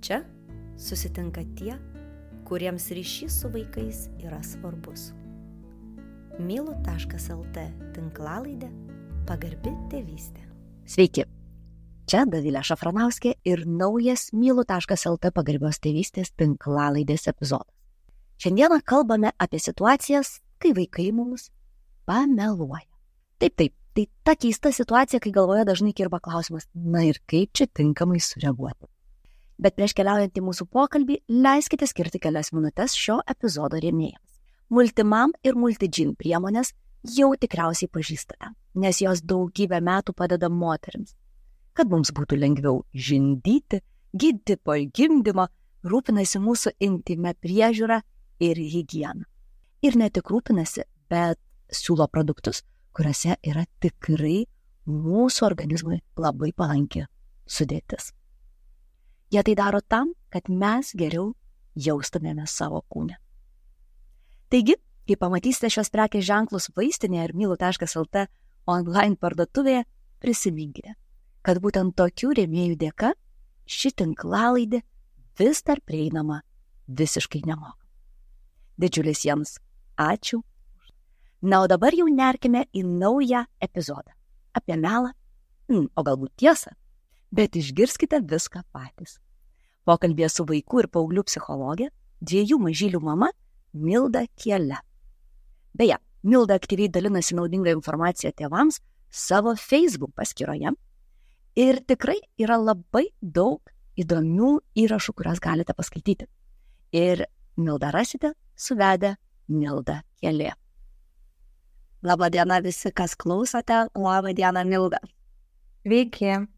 Čia susitinka tie, kuriems ryšys su vaikais yra svarbus. Mylu.lt tinklalaidė Pagarbi tėvystė. Sveiki, čia Dovilė Šafranauskė ir naujas Mylu.lt pagarbios tėvystės tinklalaidės epizodas. Šiandieną kalbame apie situacijas, kai vaikai mums pameluoja. Taip, tai ta keista situacija, kai galvoje dažnai kirba klausimas, na ir kaip čia tinkamai sureaguoti. Bet prieš keliaujant į mūsų pokalbį, leiskite skirti kelias minutės šio epizodo rėmėjams. Multimam ir Multidžin priemonės jau tikriausiai pažįstate, nes jos daugybę metų padeda moterims, kad mums būtų lengviau žindyti, gydyti po gimdymo, rūpinasi mūsų intime priežiūra ir higieną. Ir ne tik rūpinasi, bet siūlo produktus, kuriuose yra tikrai mūsų organizmui labai palanki sudėtis. Jie tai daro tam, kad mes geriau jaustumėme savo kūne. Taigi, kai pamatysite šios prekės ženklus vaistinėje ir Mylu.lt online parduotuvėje, prisiminkite, kad būtent tokių rėmėjų dėka ši tinklalaidė vis dar prieinama visiškai nemokamai. Didžiulis jiems ačiū. Na, o dabar jau nerkime į naują epizodą. Apie melą, o galbūt tiesą, bet išgirskite viską patys. Pokalbėje su vaikų ir paauglių psichologė, 2 mažylių mama Milda Kiele. Beje, Milda aktyviai dalinasi naudingą informaciją tėvams savo Facebook paskyroje ir tikrai yra labai daug įdomių įrašų, kurias galite paskaityti. Ir Mildą rasite suvedę Milda Kielė. Labą dieną visi, kas klausote. Labą dieną, Milda. Sveiki.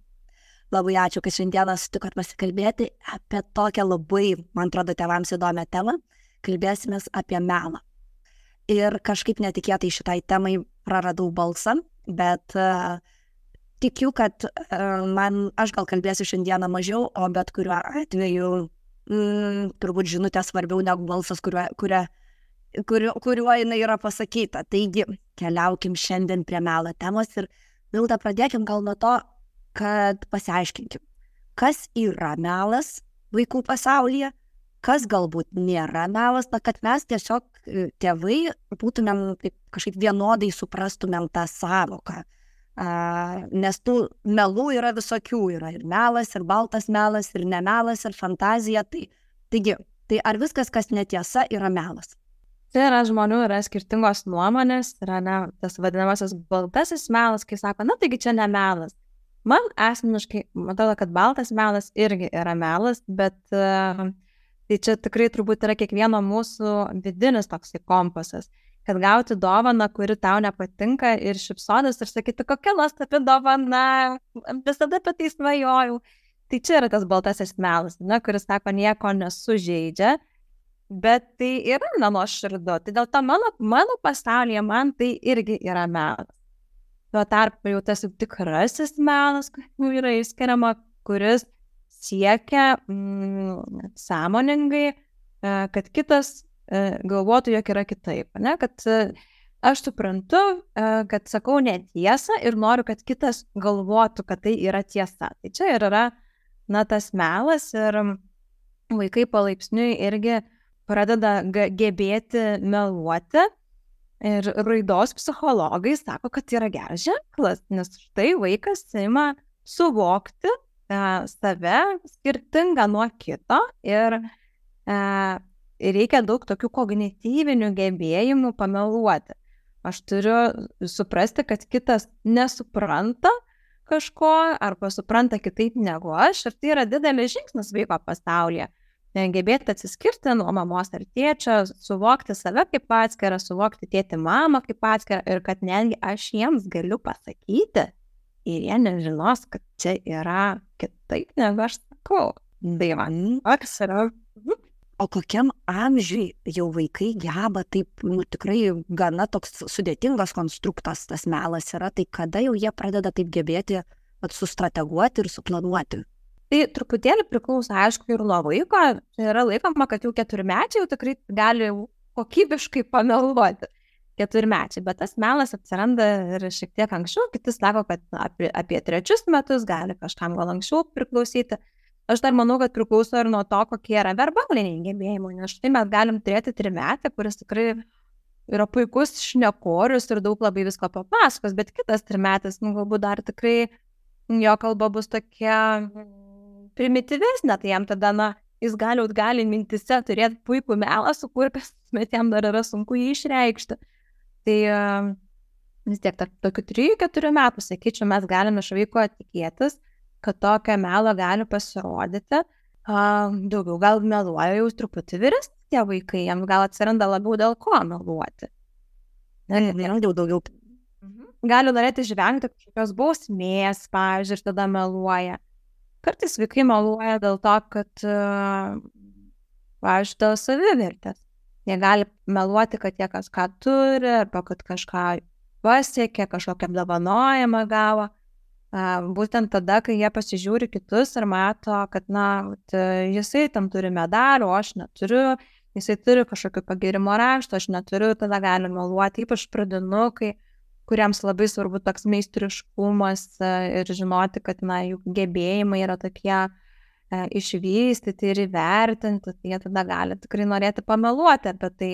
Labai ačiū, kad šiandieną sutikot pasikalbėti apie tokią labai, man atrodo, tėvams įdomią temą. Kalbėsimės apie melą. Ir kažkaip netikėtai šitai temai praradau balsą, bet tikiu, kad aš gal kalbėsiu šiandieną mažiau, o bet kuriuo atveju turbūt žinutė svarbiau negu balsas, kuriuo jinai yra pasakyta. Taigi, keliaukim šiandien prie melo temos ir Milda, pradėkim gal nuo to, kad pasiaiškinkim, kas yra melas vaikų pasaulyje, kas galbūt nėra melas, kad mes tiesiog tėvai būtumėm kažkaip vienodai suprastumėm tą sąvoką. Nes tų melų yra visokių, yra ir melas, ir baltas melas, ir nemelas, ir fantazija. Taigi, ar viskas, kas netiesa, yra melas? Tai yra žmonių, yra skirtingos nuomonės, yra tas vadinamasis baltasis melas, kai sako, taigi čia ne melas. Man asmeniškai, matau, kad baltas melas irgi yra melas, bet tai čia tikrai turbūt yra kiekvieno mūsų vidinis toksai kompasas, kad gauti dovaną, kuri tau nepatinka ir šipsotis ir sakyti, kokia nuostabi dovana, visada apie tai svajojau. Tai čia yra tas baltasis melas, kuris sako, nieko nesužeidžia, bet tai yra nenuoširdu. Tai dėl to mano pasaulyje man tai irgi yra melas. Tuo tarpu jau tas tikrasis melas, yra išskiriama, kuris siekia sąmoningai, kad kitas galvotų, jog yra kitaip. Kad aš suprantu, kad sakau netiesą ir noriu, kad kitas galvotų, kad tai yra tiesa. Tai čia ir yra tas melas ir vaikai palaipsniui irgi pradeda gebėti meluoti. Ir raidos psichologai sako, kad yra geras ženklas, nes štai vaikas ima suvokti save skirtingą nuo kito ir reikia daug tokių kognityvinių gebėjimų pameluoti. Aš turiu suprasti, kad kitas nesupranta kažko arba supranta kitaip negu aš ir tai yra didelis žingsnis vaiko pasaulyje. Gebėti atsiskirti nuo mamos ar tėčio, suvokti save kaip atskirą, suvokti tėtį mamą kaip atskirą ir kad netgi aš jiems galiu pasakyti ir jie nežinos, kad čia yra kitaip negu aš sakau. Tai man yra. O kokiam amžiui jau vaikai geba taip, tikrai gana toks sudėtingas konstruktas tas melas yra, tai kada jau jie pradeda taip gebėti sustrateguoti ir suplanuoti? Tai truputėlį priklauso, aišku, ir nuo vaiko. Yra laikoma, kad jau 4-mečiai jau tikrai gali kokybiškai pameluoti. 4-mečiai, bet tas melas atsiranda ir šiek tiek anksčiau. Kiti sako, kad apie 3 metus gali kažkam gal anksčiau priklausyti. Aš dar manau, kad priklauso ir nuo to, kokie yra verbaliniai gebėjimai, nes štai mes galim turėti trimetį, kuris tikrai yra puikus šnekorius ir daug labai visko papasakos, bet kitas trimetis, galbūt dar tikrai jo kalba bus tokia primityvesnė, tai jam tada, jis gali mintise turėti puikų melą sukurpęs, bet jam dar yra sunku jį išreikšti. Tai vis tiek tokių 3-4 metų, sakyčiau, mes galime iš vaiko tikėtis, kad tokio melo gali pasirodyti. Daugiau gal meluoja jau truputį vyresni tie vaikai, jam gal atsiranda labiau dėl ko meluoti. Daugiau. Gali norėti išvengti kažkokios bausmės, pavyzdžiui, ir tada meluoja. Kartais vaikai meluoja dėl to, kad, pavyzdžiui, dėl savivertės. Jie gali meluoti, kad jie kažką turi, arba kad kažką pasiekė, kažkokią apdovanojimą gavo. Būtent tada, kai jie pasižiūri kitus ir mato, kad, jisai tam turi medalių, o aš neturiu, jisai turi kažkokio pagirimo rašto, aš neturiu, tada gali meluoti, ypač pradinukai, kuriems labai svarbu toks meistriškumas ir žinoti, kad, jų gebėjimai yra tokie išvystyti ir įvertinti, tai jie tada gali tikrai norėti pameluoti apie tai.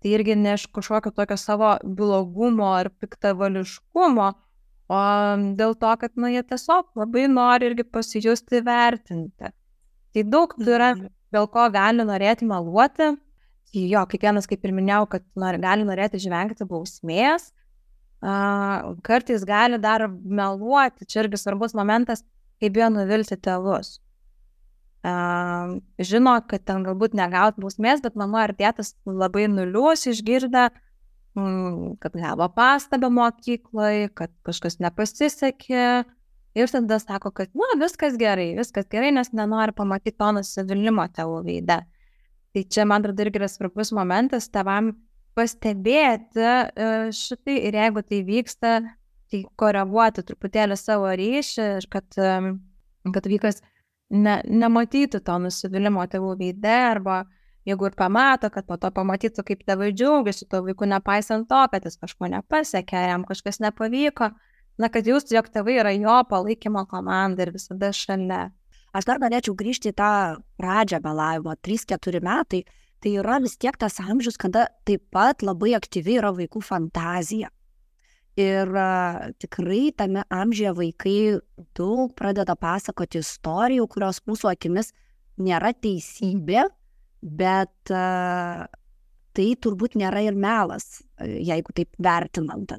Tai irgi ne iš kažkokio tokio savo blogumo ar piktavališkumo, o dėl to, kad, jie tiesiog labai nori irgi pasijusti vertinti. Tai daug yra, dėl ko gali norėti meluoti. Jo, kiekvienas, kaip ir minėjau, kad gali norėti išvengti bausmės. Kartais gali dar meluoti, čia irgi svarbus momentas, kaip bijo nuvilti tėvus. Žino, kad ten galbūt negaut bausmės, bet mama ar tėtas labai nuliūs išgirdę, kad gavo pastabą mokykloje, kad kažkas nepasisekė ir tada sako, kad viskas gerai, nes nenori pamatyti to nusivylimą tėvų veide. Tai čia, man atrodo, irgi yra svarbus momentas tėvam pastebėti šitai ir jeigu tai vyksta, tai koreguoti truputėlį savo ryšį ir kad vaikas nematytų to nusivylimo tėvų veide, arba jeigu ir pamato, kad po to pamatytų, kaip tėvai džiaugiasi to vaiku, nepaisant to, kad jis kažko nepasiekė, jam kažkas nepavyko, kad jūs, jog tėvai yra jo palaikymo komanda ir visada šalia. Aš dar norėčiau grįžti į tą pradžią melavimo, 3-4 metai, tai yra vis tiek tas amžius, kada taip pat labai aktyvi yra vaikų fantazija. Ir tikrai tame amžiuje vaikai daug pradeda pasakoti istorijų, kurios mūsų akimis nėra teisybė, bet tai turbūt nėra ir melas, jeigu taip vertinant,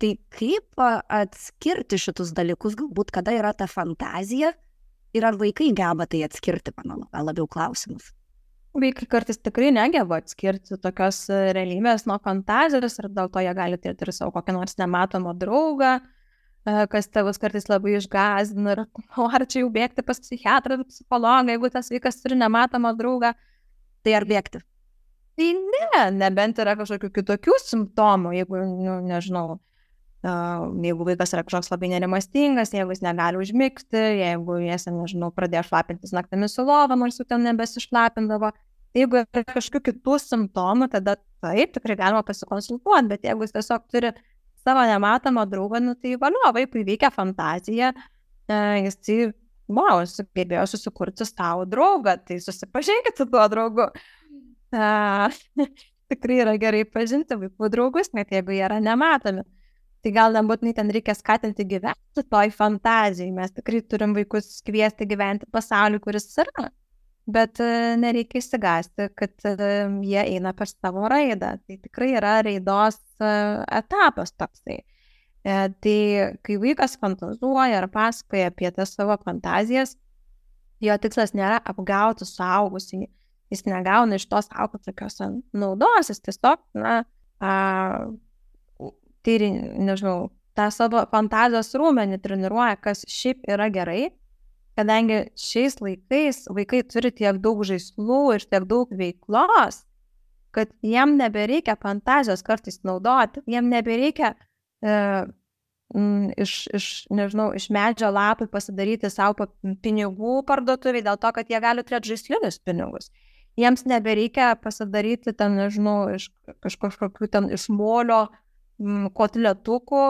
Tai kaip atskirti šitus dalykus, galbūt kada yra ta fantazija ir ar vaikai geba tai atskirti, mano labiau klausimus. Vaikai kartais tikrai negeba atskirti tokios realybės nuo fantazijos ir dėl to jie gali turėti ir savo kokią nors nematomą draugą, kas tėvus kartais labai išgąsdina ir ar čia jau bėgti pas psichiatrą ar psichologą, jeigu tas vaikas turi nematomą draugą, tai ar bėgti? Tai nebent yra kažkokių kitokių simptomų, jeigu, nežinau, jeigu vaikas yra kažkoks labai nerimastingas, jeigu jis negali užmigti, jeigu jis, pradėjo šlapintis naktimis į lovą, nors jau ten nebesišlapindavo. Jeigu yra kažkokių kitų simptomų, tada taip, tikrai galima pasikonsultuoti, bet jeigu jis tiesiog turi savo nematomą draugą, tai vaikui veikia fantazija, jis sugebėjo susikurti savo draugą, tai susipažinkit su tuo draugu. Tikrai yra gerai pažinti vaikų draugus, net jeigu jie yra nematomi. Tai gal nebūtinai ten reikia skatinti gyventi toj fantazijai. Mes tikrai turim vaikus kviesti gyventi pasaulį, kuris yra. Bet nereikia įsigąsti, kad jie eina per savo raidą. Tai tikrai yra raidos etapas toksai. Tai kai vaikas fantazuoja ar pasakoja apie tas savo fantazijas, jo tikslas nėra apgauti suaugusį. Jis negauna iš tos aukos tokios naudos, jis tiesiog, tą savo fantazijos rūmenį treniruoja, kas šiaip yra gerai, kadangi šiais laikais vaikai turi tiek daug žaislų ir tiek daug veiklos, kad jiem nebereikia fantazijos kartais naudoti, jiem nebereikia iš medžio lapų pasidaryti savo pinigų parduotuviai dėl to, kad jie gali turėti žaislinius pinigus. Jiems nebereikia pasidaryti ten, iš kažkokių ten iš molio kotletukų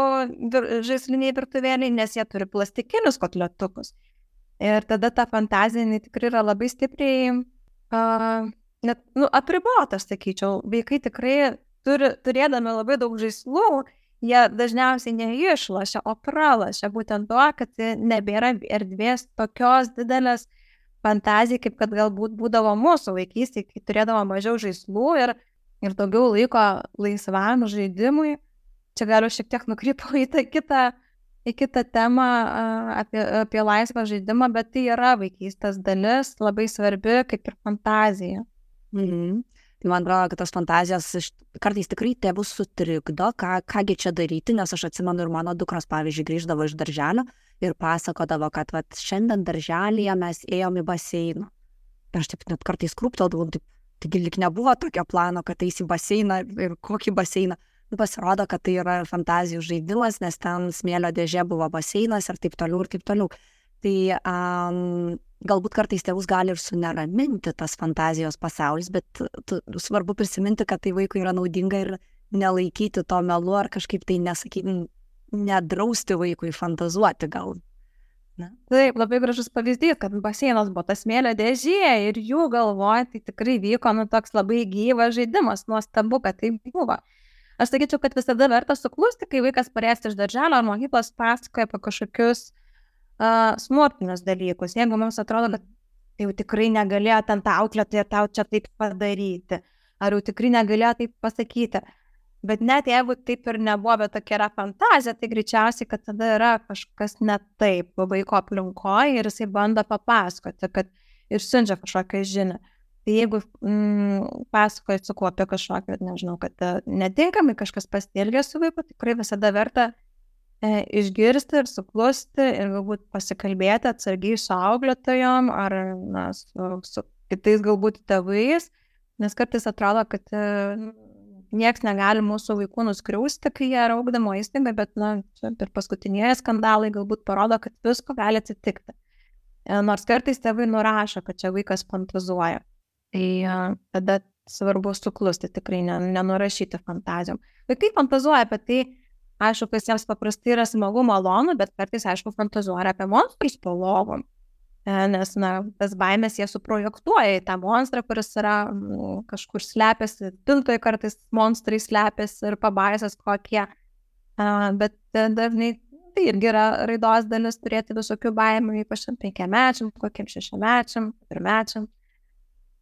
žaisliniai virtuvėliai, nes jie turi plastikinius kotletukus. Ir tada ta fantazija, jinai tikrai yra labai stipriai, net, apribota, aš sakyčiau. Vaikai tikrai turėdami labai daug žaislų, jie dažniausiai neišlošia, o pralošia būtent to, kad nebėra erdvės tokios didelės fantazijai, kaip kad galbūt būdavo mūsų vaikystėje, kai turėdavo mažiau žaislų ir daugiau laiko laisvam žaidimui. Čia galiu šiek tiek nukrypau į kitą temą apie laisvą žaidimą, bet tai yra vaikystės dalis, labai svarbi, kaip ir fantazija. Tai man atrodo, kad tos fantazijos kartais tikrai tėvus sutrikdo, kągi čia daryti, nes aš atsimenu ir mano dukros, pavyzdžiui, grįždavo iš darželio ir pasakodavo, kad šiandien darželyje mes ėjom į baseiną. Ir aš taip net kartais krūpteldavau, taigi lyg nebuvo tokio plano, kad eisi į baseiną ir kokį baseiną. Pasirodo, kad tai yra fantazijų žaidimas, nes ten smėlio dėžė buvo baseinas ir taip toliau ir taip toliau. Tai galbūt kartais tėvus gali ir suneraminti tas fantazijos pasaulis, bet svarbu prisiminti, kad tai vaikui yra naudinga ir nelaikyti to melu ar kažkaip tai nedrausti vaikui fantazuoti gal. Na? Taip, labai gražus pavyzdys, kad baseinas buvo tas smėlio dėžė ir jų galvoje tai tikrai vyko toks labai gyvas žaidimas, nuostabu, kad tai buvo. Aš sakyčiau, kad visada verta suklusti, kai vaikas parėjęs iš darželio ar mokyklos pasakoja apie kažkokius smurtinius dalykus. Jeigu mums atrodo, kad jau tikrai negalėjo ten tą auklėtoją tau čia taip padaryti, ar jau tikrai negalėjo taip pasakyti. Bet net jeigu taip ir nebuvo, bet tokia yra fantazija, tai greičiausiai, kad tada yra kažkas ne taip vaiko aplinkoje ir jisai bando papasakoti, kad ir siunčia kažkokią žinią. Tai jeigu pasakoji su kuo apie kažkokią, nežinau, kad netinkamai kažkas pasielgė su vaiku, tikrai visada verta išgirsti ir suklusti ir galbūt pasikalbėti atsargiai su auklėtojom ar su kitais galbūt tėvais, nes kartais atrodo, kad nieks negali mūsų vaikų nuskriausti, kai jie yra ugdymo įstaiga, bet per paskutinieji skandalai galbūt parodo, kad visko gali atsitikti. Nors kartais tėvai nurašo, kad čia vaikas fantazuoja. Tai tada svarbu suklusti, tikrai nenurašyti fantazijom. Vaikai fantazuoja apie tai, aišku, kas jiems paprastai yra smagu, malonu, bet kartais, aišku, fantazuoja apie monstrus po lovom. Nes, tas baimės jie suprojektuoja į tą monstrą, kuris yra kažkur slepiasi, pintoje kartais monstrai slepiasi ir pabaisas kokie. Bet dažnai tai irgi yra raidos dalis turėti visokių baimių, ypač 5-mečiam, kokiem 6-mečiam, 4-mečiam.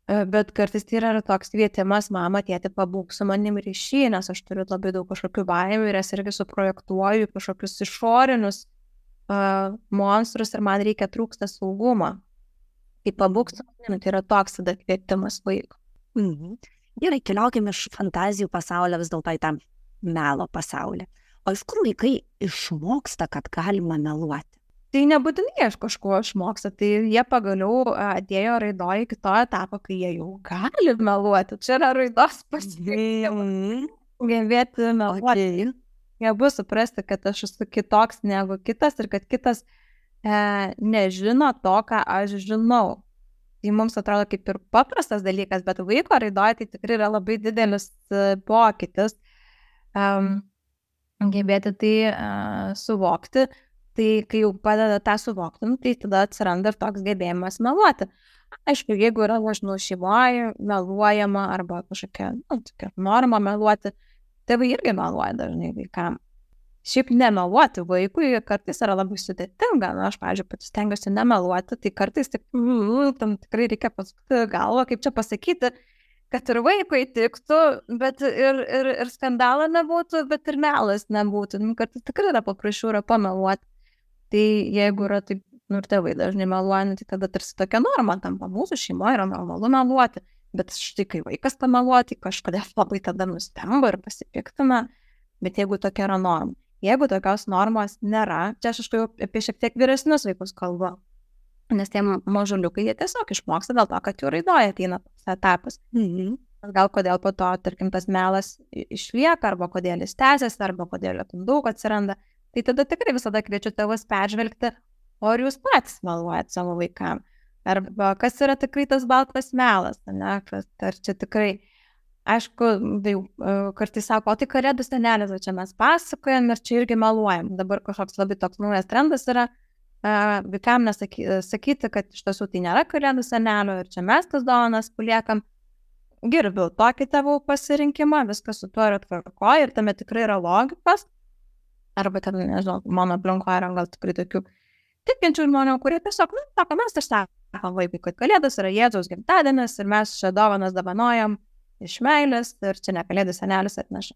Bet kartais tai yra toks kvietimas, mama, tėti, pabūk su manim ryšį, nes aš turiu labai daug kažkokių baimių ir jas irgi suprojektuoju kažkokius išorinius monstrus ir man trūksta saugumo. Tai pabūk su manim, tai yra toks tada kvietimas vaiko. Gerai, keliaukime iš fantazijų pasaulio vis dėlto į tą melo pasaulį. O iš kur vaikai išmoksta, kad galima meluoti? Tai nebūtinai iš kažko išmoksta, tai jie pagaliau atėjo raidoje iki to etapo, kai jie jau gali meluoti. Čia yra raidos pasiekimas. Gebėti meluoti. Jie bus suprasti, kad aš esu kitoks negu kitas ir kad kitas nežino to, ką aš žinau. Tai mums atrodo kaip ir paprastas dalykas, bet vaiko raidoje tai tikrai yra labai didelis pokytis. Gebėti tai suvokti. Tai kai jau padeda tą suvokti, tai tada atsiranda ir toks gebėjimas meluoti. Aišku, jeigu yra šeimoje meluojama arba kažkokia norma meluoti, tėvai irgi meluoja dažnai vaikam. Šiaip nemeluoti vaikui kartais yra labai sudėtinga. Aš, pavyzdžiui, pati stengiuosi nemeluoti, tai kartais tam tikrai reikia pasukti galvą, kaip čia pasakyti, kad ir vaikui tiktų, bet ir skandalo nebūtų, bet ir melas nebūtų. Kartais tikrai yra paprasčiau pameluoti. Tai jeigu yra taip, ir tėvai dažnai meluoja, tai tada tarsi tokia norma tampa. Mūsų šeimoje yra normalu meluoti, bet štai kai vaikas pameluoti, kažkodėl labai tada nustemba ir pasipiktina, bet jeigu tokia yra norma. Jeigu tokios normos nėra, čia aš apie šiek tiek vyresnius vaikus kalbu, nes tie mažuliukai jie tiesiog išmoksta dėl to, kad jų raidoje ateina tas etapas. Gal kodėl po to, tarkim, tas melas išlieka, arba kodėl jis tęsiasi, arba kodėl jo daug atsiranda. Tai tada tikrai visada kviečiu tėvus peržvelgti, o ar jūs patys meluojat savo vaikam. Arba kas yra tikrai tas baltas melas, ne? Ar čia tikrai, aišku, kartais sako, o tai kalėdų senelis, čia mes pasakojam ir čia irgi meluojam. Dabar kažkoks labai toks naujas trendas yra, vaikam sakyti, kad iš tiesų tai nėra kalėdų senelio ir čia mes tas dovanas paliekam. Gerbiu tokį tėvų pasirinkimą, viskas su tuo yra tvarkoje ir tame tikrai yra logikos. Arba ten, nežinau, mano aplinkoje yra gal tikrai tokių tikinčių žmonių, kurie tiesiog, sako, mes sakom vaikui, kad kalėdos yra Jėzaus gimtadienis ir mes čia dovanas dovanojam iš meilės ir čia ne kalėdų senelis atneša.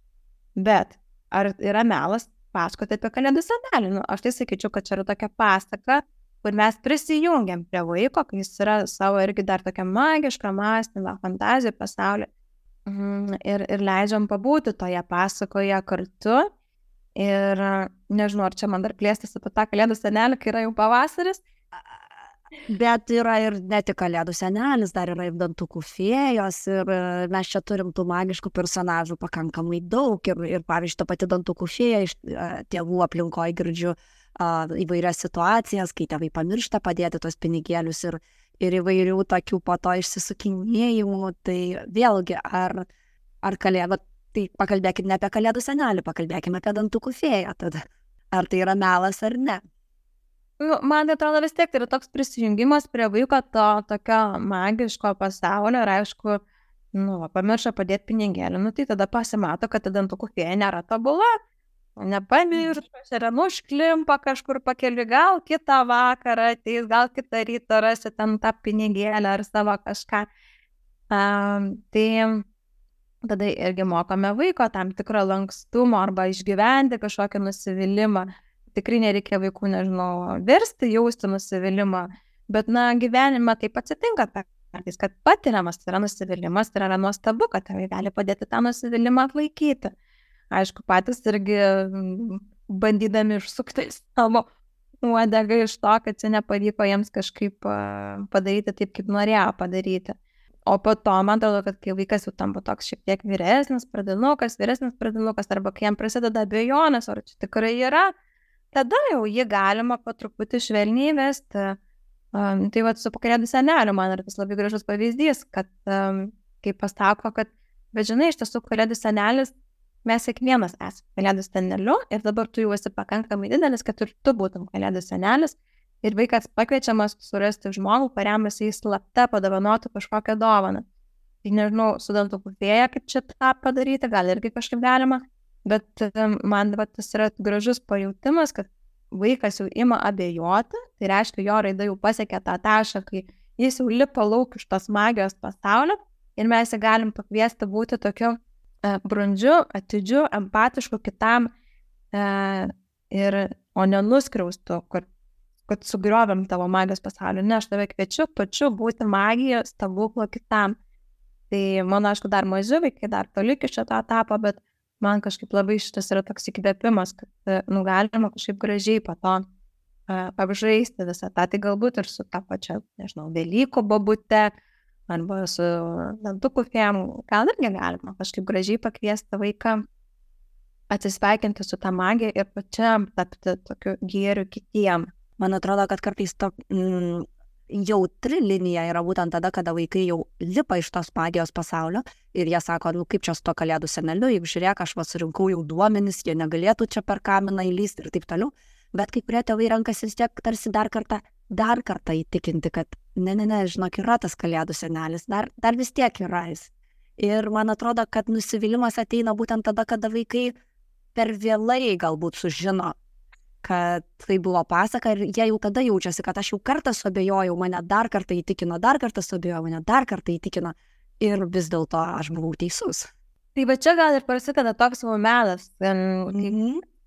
Bet ar yra melas pasakoti apie kalėdų senelį? Aš tai sakyčiau, kad čia yra tokia pasaka, kur mes prisijungiam prie vaiko, kai jis yra savo irgi dar tokia magiška mąstymą, fantazijų pasaulį ir leidžiam pabūti toje pasakoje kartu. Ir nežinau, ar čia man dar plėstis apie tą kalėdų senelį, kai yra jau pavasaris. Bet yra ir ne tik kalėdų senelis, dar yra ir dantukų fėjos ir mes čia turim tų magiškų personažų pakankamai daug ir pavyzdžiui, ta pati dantukų fėja iš tėvų aplinkoje girdžiu įvairias situacijas, kai tėvai pamiršta padėti tos pinigėlius ir įvairių tokių po to išsisukinėjimų, tai vėlgi, ar kalėdų, tai pakalbėkime ne apie kalėdų senelį, pakalbėkime apie dantukų fėją tada. Ar tai yra melas ar ne? Man atrodo vis tiek tai yra toks prisijungimas prie vaiko to tokio magiško pasaulio ir aišku, pamiršo padėti pinigėlį, tai tada pasimato, kad ta dantukų fėja nėra tobula. Nepamiršo, yra nušklimpa kažkur pakeliui, gal kitą vakarą ateis, gal kitą rytą rasi ten tą pinigėlę ar savo kažką. Tai tada irgi mokome vaiko tam tikrą lankstumo arba išgyventi kažkokį nusivylimą. Tikrai nereikia vaikų, nežinau, versti, jausti nusivylimą, bet gyvenime taip atsitinka kartais, kad patiriamas yra nusivylimas ir yra nuostabu, kad tėvai gali padėti tą nusivylimą atlaikyti. Aišku, patys irgi bandydami išsukti savo uodegą iš to, kad čia nepavyko jiems kažkaip padaryti taip, kaip norėjo padaryti. O po to, man atrodo, kad kai vaikas jau tampa toks šiek tiek vyresnis pradinukas, arba kai jam prasideda abejonės, ar čia tikrai yra, tada jau jį galima po truputį švelniai vesti. Tai vat su kalėdų seneliu man yra tas labai gražus pavyzdys, kad kai pasako, kad, bet žinai, iš tiesų kalėdų senelis, mes kiekvienas esame kalėdų seneliu ir dabar tu jau esi pakankamai didelis, kad ir tu būtum kalėdų senelis ir vaikas pakviečiamas surasti žmogų, kuriam jisai slapta padovanotų kažkokią dovaną. Tai nežinau, su dantukų fėja, kaip čia tą padaryti, gal irgi kažkaip galima, bet man tas yra gražus pajautimas, kad vaikas jau ima abejoti, tai reiškia, jo raida jau pasiekė tą tašką, kai jis jau lipa lauk iš tos magijos pasaulio ir mes jį galim pakviesti būti tokiu brandžiu, atidžiu, empatišku kitam o nenuskriaustu, kad sugriovėm tavo magijos pasaulį. Ne, aš tave kviečiu pačiu būti magijos stebuklo kitam. Tai mano, aišku, dar maži vaikai, dar toli iki šito etapo, bet man kažkaip labai šitas yra toks įkvėpimas, kad galima kažkaip gražiai po to apžaisti visą tą. Tai galbūt ir su ta pačia, nežinau, Velykų bobute, arba su dantukų fėjom, gal irgi galima kažkaip gražiai pakviesti vaiką atsisveikinti su tą magiją ir pačiam tapti tokiu gėriu kitiem. Man atrodo, kad kartais jautri linija yra būtent tada, kada vaikai jau lipa iš tos magijos pasaulio ir jie sako, kaip čia su to kalėdų seneliu, juk žiūrėk, aš surinkau jau duomenis, jie negalėtų čia per kaminą įlysti ir taip toliau. Bet kai kurie tėvai renkasi vis tiek tarsi dar kartą įtikinti, kad ne, žinok, yra tas kalėdų senelis, dar vis tiek yra jis. Ir man atrodo, kad nusivylimas ateina būtent tada, kada vaikai per vėlai galbūt sužino, kad tai buvo pasaka ir jie jau tada jaučiasi, kad aš jau kartą suabejojau, mane dar kartą įtikino, dar kartą suabejojau, mane dar kartą įtikino ir vis dėlto aš buvau teisus. Tai va čia gal ir prasideda toks melas,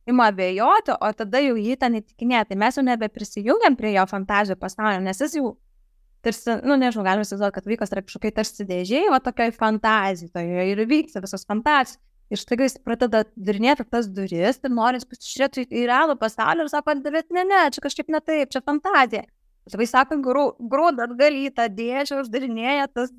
ima abejoti, o tada jau jį ten įtikinėti. Mes jau nebeprisijungiam prie jo fantazijų pasaulio, nes jis jau tarsi, nežinau, galime įsivaizduoti, kad vaikas yra kažkokiai tarsi dėžėjai, va tokioj fantazijoje ir vyksta visos fantazijos. Ir štai jis pradeda darinėti tas duris ir nori pasižiūrėti į realų pasaulį ir sako, bet ne, čia kažkaip ne taip, čia fantazija. Tėvai sako, grūda atgal į tą dėžę, uždarinėja tas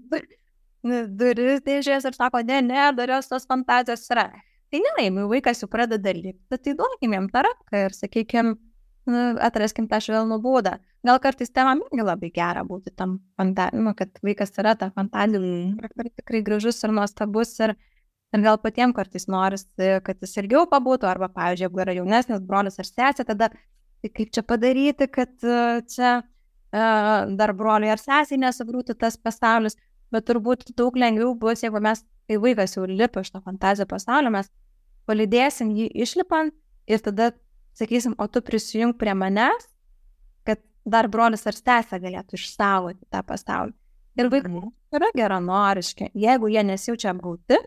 duris dėžės ir sako, ne, darios tos fantazijos yra. Tai nelaimai, vaikas jau pradeda lipti, tai duokim jam tą ranką ir, sakykim, atraskim tą švelnų būdą. Gal kartais tėvam irgi labai gera būti tam fantazijų, kad vaikas yra ta fantazija, tikrai gražus ir nuostabus ir gal patiems kartais norisi, kad jis ilgiau pabūtų, arba, pavyzdžiui, jeigu yra jaunesnis brolis ar sesė, tada tai kaip čia padaryti, kad čia dar broliai ar sesiai nesugriūtų tas pasaulis, bet turbūt daug lengviau bus, jeigu mes, kai vaikas jau lipa iš to fantazijos pasaulio, mes palydėsim jį išlipant ir tada sakysim, o tu prisijung prie manęs, kad dar brolis ar sesė galėtų išsaugoti tą pasaulį. Ir vaikai yra geranoriški. Jeigu jie nesijaučia apgauti,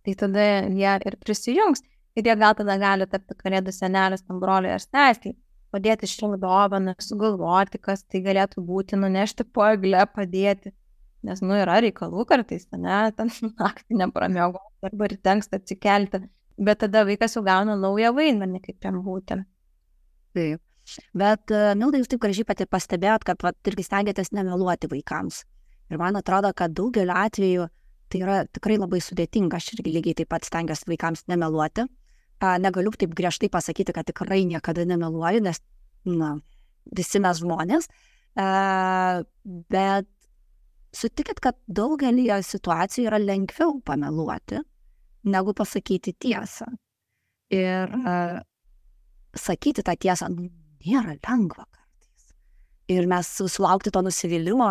tai tada jie ir prisijungs. Ir jie gal tada gali tapti kalėdų senelis tam broliui ar sesei, padėti išrinkti dovaną, sugalvoti, kas tai galėtų būti, nunešti po eglę, padėti. Nes, yra reikalų kartais, ne, ten naktį nepramiego, arba ryte anksti atsikelti. Bet tada vaikas jau gauna naują vaidmenį, kaip jam būti. Taip. Bet, Milda, jūs taip gražiai pati pastebėjot, kad irgi stengiatės nemeluoti vaikams. Ir man atrodo, kad daugeliu atveju tai yra tikrai labai sudėtinga. Aš irgi lygiai taip pat stengiuosi vaikams nemeluoti. Negaliu taip griežtai pasakyti, kad tikrai niekada nemeluoju, nes, visi mes žmonės. Bet sutikit, kad daugelį situacijų yra lengviau pameluoti, negu pasakyti tiesą. Ir sakyti tą tiesą nėra lengva kartais. Ir mes sulaukti to nusivylimo,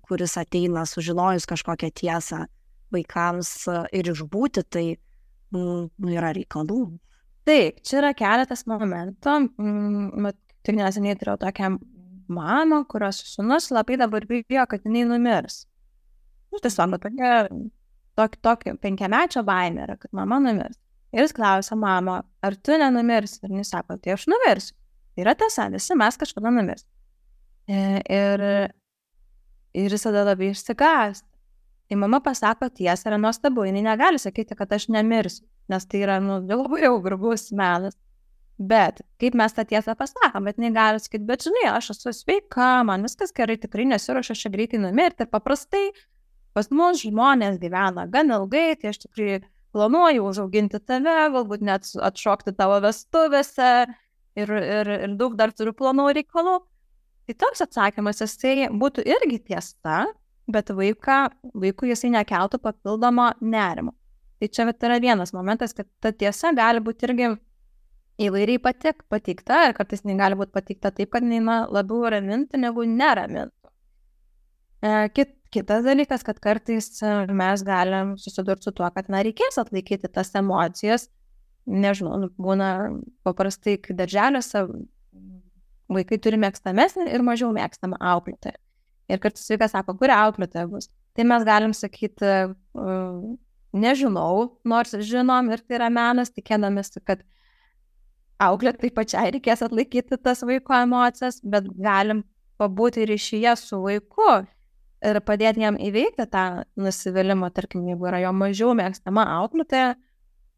kuris ateina sužinojus kažkokią tiesą vaikams ir išbūti, tai yra reikalų. Taip, čia yra keletas momentų. Tik neseniai turėjau tokią mamą, kurios sūnus labai dabar bijo, kad jinai numirs. Tiesiog tokia 5-mečio baimė yra, kad mama numirs. Ir jis klausia mamą, ar tu nenumirsi? Ir jis sako, tai aš numirsiu. Tai yra tiesa, visi mes kažkada numirs. Ir jis tada labai išsigąsta. Tai mama pasako tiesą, yra nuostabu, jinai negali sakyti, kad aš nemirsiu, nes tai yra labai jau grubus melas. Bet kaip mes tą tiesą pasakom, bet jinai gali sakyti, bet žinai, aš esu sveika, man viskas gerai, tikrai nesiruošiu aš greitai numirti. Ir paprastai pas mus žmonės gyvena gan ilgai, tai aš tikrai planuoju užauginti tave, galbūt net atšokti tavo vestuvėse ir daug dar turiu planų reikalų. Tai toks atsakymas, jisai būtų irgi tiesa, bet vaikui jisai nekeltų papildomo nerimo. Tai čia yra vienas momentas, kad ta tiesa gali būti irgi įvairiai pateikta, ir kartais jinai gali būti pateikta taip, kad jinai labiau ramintų negu neramintų. Kitas dalykas, kad kartais mes galim susidurti su tuo, kad reikės atlaikyti tas emocijas. Nežinau, būna paprastai, kai darželiuose vaikai turi mėgstamesnį ir mažiau mėgstamą auklėtoją. Ir kartais vaikas sako, kuri auklėtoja bus. Tai mes galim sakyti, nežinau, nors žinom ir tai yra menas, tikėdamėsi, kad auklėtojai pačiai reikės atlaikyti tas vaiko emocijas, bet galim pabūti ryšyje su vaiku ir padėti jam įveikti tą nusivylimą, tarkim, jeigu yra jo mažiau mėgstama auklėtoja,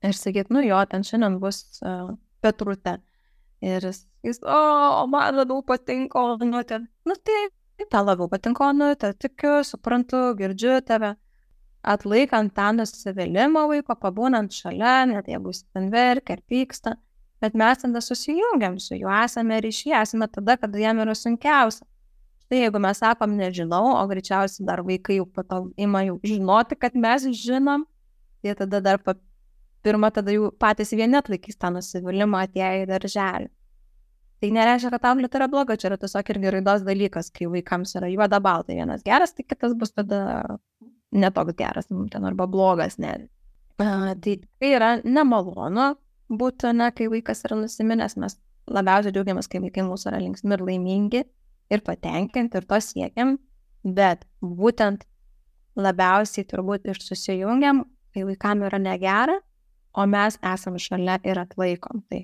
ir sakyti, jo, ten šiandien bus Petrutė. Ir jis, man labiau patinka Onutė. Tai tau labiau patinka Onutė, tikiu, suprantu, girdžiu tave. Atlaikant tą nusivylimą vaiko, pabūnant šalia, net jeigu jis ten verkia ar pyksta, bet mes tada susijungiam su juo, esame ryšyje, esame tada, kada jam yra sunkiausia. Tai jeigu mes sakom nežinau, o greičiausiai dar vaikai jau po to ima jau žinoti, kad mes žinom, tai tada dar pirmą tada jau patys vieni atlaikys tą nusivylimą atėję į darželį. Tai nereiškia, kad auklėtoja yra bloga, čia yra tiesiog irgi raidos dalykas, kai vaikams yra juoda balta, vienas geras, tai kitas bus tada netoks geras, arba blogas net. Tai yra nemalonu būti, kai vaikas yra nusiminęs, mes labiausiai džiaugiamės, kai vaikai mūsų yra linksmi ir laimingi ir patenkinti ir to siekiam, bet būtent labiausiai turbūt ir susijungiam, kai vaikam yra negera, o mes esam šalia ir atlaikom. Tai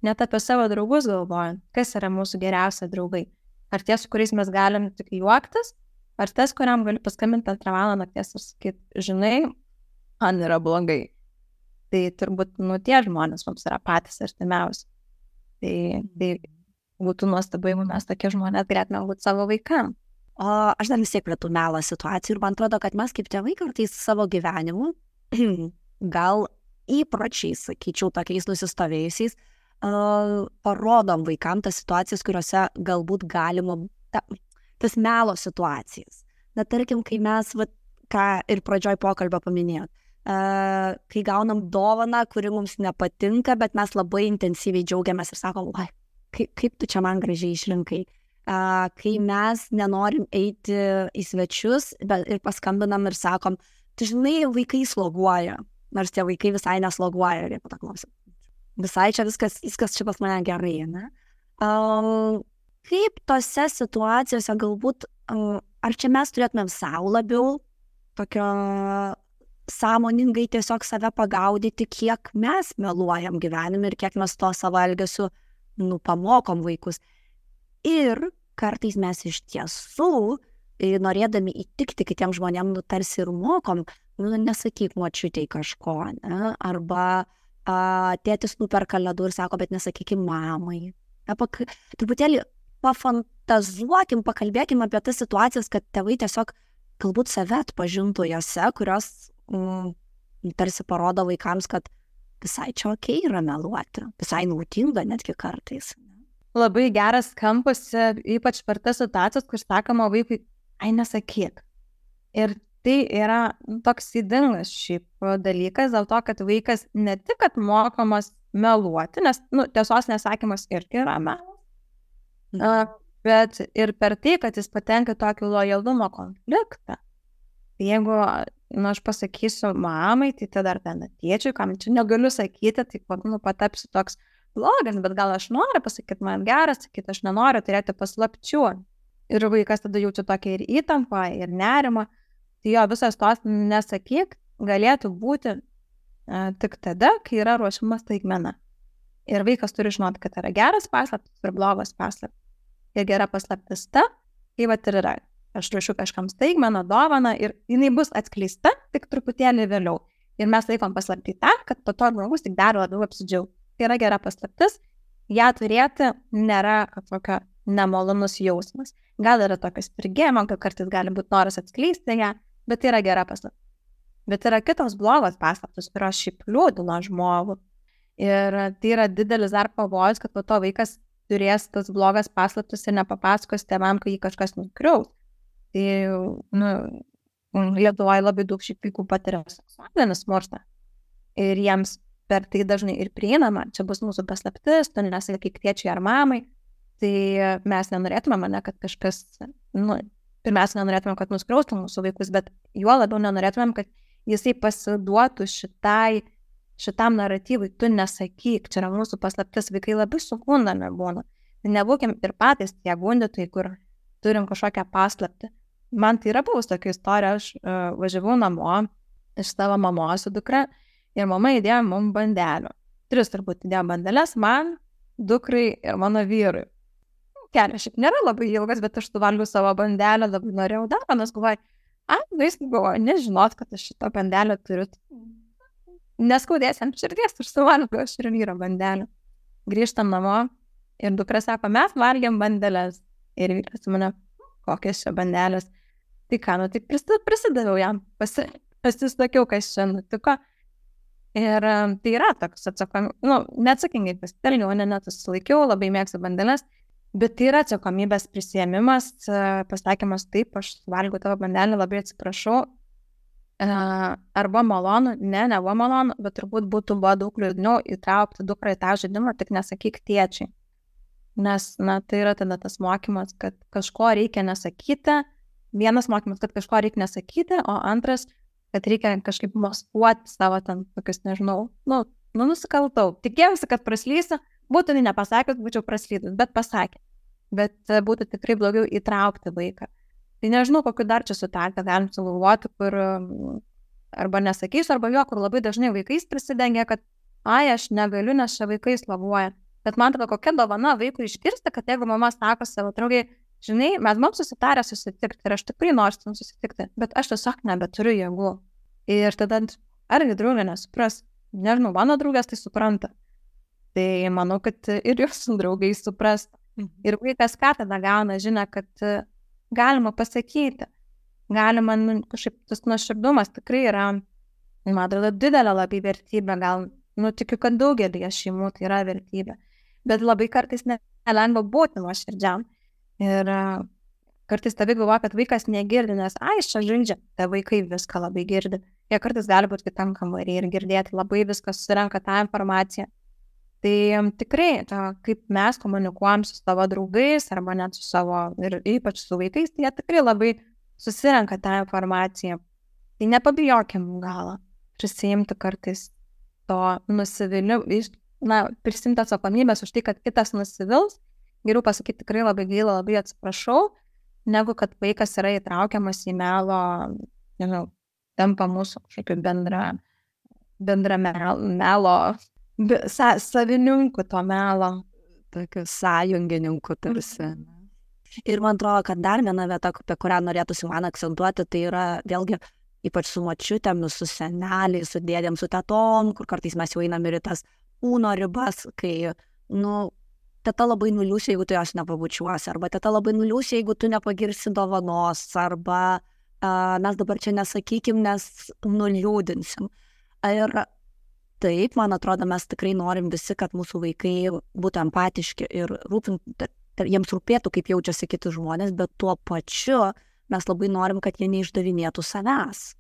net apie savo draugus galvojant, kas yra mūsų geriausia draugai. Ar tie, su kuriais mes galim tik juoktis, ar tas, kuriam gali paskambinti 2 valandą nakties ir sakyti, žinai, man yra blogai. Tai turbūt, tie žmonės mums yra patys artimiausi. Tai būtų nuostabu, jeigu mes tokie žmonės galėtume būti savo vaikam. O aš dar vis tiek prie tų melo situacijų ir man atrodo, kad mes kaip tėvai kartais savo gyvenimu, gal įpročiais, sakyčiau, tokiais nusistovėjusiais, parodom vaikam tas situacijas, kuriuose galbūt galima, tas melo situacijas. Na, tarkim, kai mes, ką ir pradžioj pokalbio paminėjot, kai gaunam dovaną, kuri mums nepatinka, bet mes labai intensyviai džiaugiamės ir sakom, kaip tu čia man gražiai išrinkai. Kai mes nenorim eiti į svečius ir paskambinam ir sakom, tu žinai, vaikai sloguoja, nors tie vaikai visai nesloguoja, ir jie paklausė. Visai čia viskas čia pas mane gerai, ne? Kaip tose situacijose galbūt, ar čia mes turėtumėm savo labiau tokio sąmoningai tiesiog save pagaudyti, kiek mes meluojam gyvenime ir kiek mes to savo elgesiu pamokom vaikus. Ir kartais mes iš tiesų, norėdami įtikti kitiems žmonėms, tarsi ir mokom, nesakyk močiutei kažko, ne? Arba tėtis nuperka ledų ir sako, bet nesakykim mamai. Truputėlį pafantazuokim, pakalbėkim apie tas situacijas, kad tėvai tiesiog galbūt save atpažintų jose, kurios tarsi parodo vaikams, kad visai čia okei yra meluoti, visai naudinga netgi kartais. Labai geras kampas, ypač per tas situacijas, kur sakoma vaikui, ai nesakyk. Ir tai yra toks įdingas šiaip dalykas, dėl to, kad vaikas ne tik, kad mokomas meluoti, nes tiesos nesakymas irgi yra melas, bet ir per tai, kad jis patenka tokį lojalumo konfliktą. Jeigu aš pasakysiu mamai, tai tada dar ten tėčiui, kam čia negaliu sakyti, tai patapsiu toks blogas, bet gal aš noriu pasakyti, man geras sakyti, aš nenoriu turėti paslapčių. Ir vaikas tada jaučia tokia ir įtampą, ir nerimą. Tai jo visas tos nesakyk galėtų būti tik tada, kai yra ruošiama staigmena. Ir vaikas turi žinoti, kad yra geras paslaptis ir blogas paslaptis. Ir gera paslaptis ta, kai vat ir yra. Aš ruošiu kažkam staigmeną, dovaną ir jinai bus atskleista tik truputėlį vėliau. Ir mes laikom paslaptį tą, kad po to žmogus tik dar labiau apsidžiaugtų. Tai yra gera paslaptis, ją turėti nėra kažkokio nemalonus jausmas. Gal yra tokios spirgėjimo, kad kartais gali būti noras atskleisti ją, bet tai yra gera paslaptis. Bet yra kitos blogos paslaptis, kurios šiaip liūdina žmogų. Ir tai yra didelis dar pavojus, kad po to vaikas turės tas blogas paslaptis ir nepapasakos tėvam, kai jį kažkas nukriaus. Tai, Lietuvoje labai daug šiaip vaikų patiria seksualinį smurtą. Ir jiems per tai dažnai ir prieinama, čia bus mūsų paslaptis, tu nesakyk tėčiui ar mamai. Tai mes nenorėtume, kad kažkas, pirmiausia, nenorėtume, kad nuskriaustų mūsų vaikus, bet juo labiau nenorėtume, kad jisai pasiduotų šitam naratyvui, tu nesakyk, čia yra mūsų paslaptis, vaikai labai sugundami būna. Nebūkim ir patys tie gundytojai, kur turim kažkokią paslaptį. Man tai yra buvus tokia istorija, aš važiavau namo iš savo mamos su dukra ir mama įdėjo mums bandelių. 3 turbūt įdėjo bandelės man, dukrai ir mano vyrui. Kelias šiaip nėra labai ilgas, bet aš suvalgiau savo bandelę, labai norėjau dar, nes galvoju, jis galvoju, nežinot, kad aš šitą bandelę turiu. Neskaudės ant širdies, aš suvalgiau aš ir vyro bandelę. Grįžtam namo ir dukra sako, mes valgiam bandelės. Ir vyras mane, kokias čia bandelės. Tai ką, tai prisidaviau jam, pasisakiau, kas čia nutiko. Ir tai yra toks neatsakingai pasitelniau, nesusilaikiau, labai mėgstu bandelės, bet tai yra atsakomybės prisiėmimas, pasakymas taip, aš valgiau tavo bandelį, labai atsiprašau. Arba malonu, nebuvo malonu, bet turbūt buvo daug liūdniau įtraukti dukrą į tą žaidimą, tik nesakyk tėčiai. Nes, tai yra tada tas mokymas, kad kažko reikia nesakyti. Vienas mokymas, kad kažko reikia nesakyti, o antras, kad reikia kažkaip maskuoti savo ten tokius, nežinau, nusikaltau. Tikėjausi, kad praslysiu, būtų nepasakęs, būčiau praslydus, bet pasakė. Bet būtų tikrai blogiau įtraukti vaiką. Tai nežinau, kokiu dar čia situaciją galim sugalvoti, kur arba nesakysiu, arba jo, kur labai dažnai vaikais prisidengia, kad aš negaliu, nes čia vaikai slavuoja. Bet man atrodo, kokia dovana vaikui išgirsti, kad jeigu mama sako savo draugai, žinai, mes mums susitarę susitikti ir aš tikrai noriu susitikti, bet aš tiesiog nebeturiu jėgų. Ir tada, argi draugė nesupras, nežinau, mano draugės tai supranta. Tai manau, kad ir jūsų draugai supras. Ir vaikas ką tada gauna žinią, kad galima pasakyti, galima, kažkaip tas nuoširdumas tikrai yra, man atrodo, didelė labai vertybė, gal, tikiu, kad daugelį šeimų tai yra vertybė. Bet labai kartais nelengva būti nuoširdžiam. Ir kartais tėvai galvoja, kad vaikas negirdi, nes čia žaidžia, tai vaikai viską labai girdi. Jie kartais gali būti kitam kambarį ir girdėti, labai viską susirenka tą informaciją. Tai tikrai, kaip mes komunikuojam su savo draugais arba net su savo, ir ypač su vaikais, tai jie tikrai labai susirenka tą informaciją. Tai nepabijokim galą prisiimti kartais to nusivylimu, prisimti atsakomybės už tai, kad kitas nusivils. Geriau pasakyti tikrai labai gaila, labai atsiprašau, negu kad vaikas yra įtraukiamas į melo, nežinau, tampa mūsų kažkaip bendra melo, savininku to melo. Tokiu sąjungininku tarsi. Ir man atrodo, kad dar viena vieta, apie kurią norėtųsi man akcentuoti, tai yra vėlgi ypač su močiutėm, su seneliais, su dėdėm, su tetom, kur kartais mes jau einam ir į tas kūno ribas, kai, teta labai nuliūsi, jeigu tu jos nepabučiuosi, arba teta labai nuliūsi, jeigu tu nepagirsi dovanos, arba mes dabar čia nesakykim, nes nuliūdinsim. Ir taip, man atrodo, mes tikrai norim visi, kad mūsų vaikai būtų empatiški ir jiems rūpėtų, kaip jaučiasi kiti žmonės, bet tuo pačiu mes labai norim, kad jie neišdavinėtų savęs.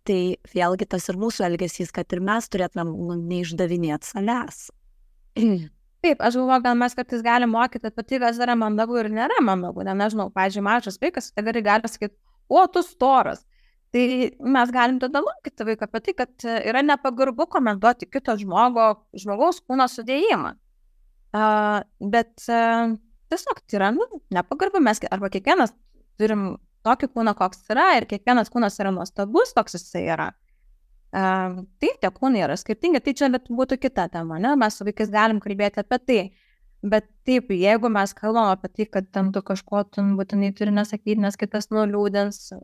Tai vėlgi tas ir mūsų elgesys, kad ir mes turėtumėm neišdavinėti savęs. Taip, aš galvoju, gal mes kartais galim mokyti apie tai, kas yra mandagu ir nėra mandagu. Nežinau, pavyzdžiui, mažas vaikas, tai gali pasakyti, o, tu storas. Tai mes galim tada mokyti vaiką apie tai, kad yra nepagarbu komentuoti kito žmogaus kūno sudėjimą. Bet tiesiog tai yra nepagarbu, mes arba kiekvienas turim tokį kūną, koks yra, ir kiekvienas kūnas yra nuostabus, toks jisai yra. Taip, tie kūnai yra skirtingi, tai čia būtų kita tema, ne? Mes su vaikais galim kalbėti apie tai, bet taip, jeigu mes kalbam apie tai, kad ten tu kažko būtinai turi nesakyti, nes kitas nuliūdins,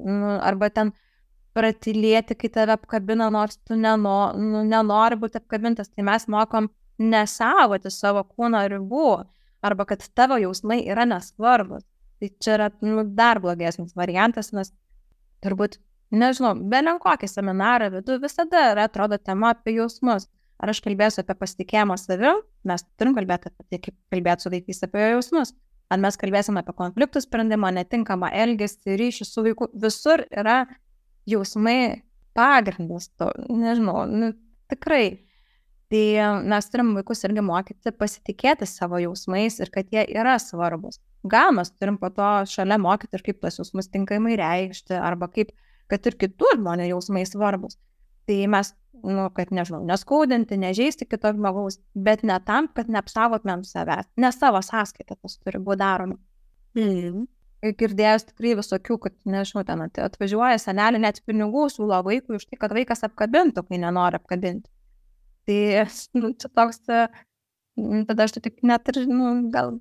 arba ten pratylėti, kai tave apkabina, nors tu nenori būti apkabintas, tai mes mokom nesavoti savo kūno ribų, arba kad tavo jausmai yra nesvarbus. Tai čia yra dar blogesnis variantas, nes turbūt nežinau, belen kokį seminarą vedu, visada yra, atrodo, tema apie jausmus. Ar aš kalbėsiu apie pasitikėjimą savim, mes turim kalbėti apie tai, kaip kalbėti su vaikais apie jausmus. Ar mes kalbėsim apie konfliktų sprendimą, netinkamą elgesį, ryšį su vaiku, visur yra jausmai pagrindas, nežinau, tikrai. Tai mes turim vaikus irgi mokyti pasitikėti savo jausmais ir kad jie yra svarbus. Gal mes turim po to šalia mokyti ir kaip tas jausmus tinkamai reikšti, arba kaip kad ir kitų žmonių jausmai svarbus. Tai mes, kad nežinau, neskaudinti, nežeisti kito žmogaus, bet ne tam, kad neapsaugotumėm savęs, ne savo sąskaitą tas turi būti daroma. Girdėjus tikrai visokių, kad, nežinau, ten atvažiuoja senelį, net pinigų siūlo vaikui už tai, kad vaikas apkabintų, kai nenori apkabinti. Tai čia toks, tada aš tik net ir, gal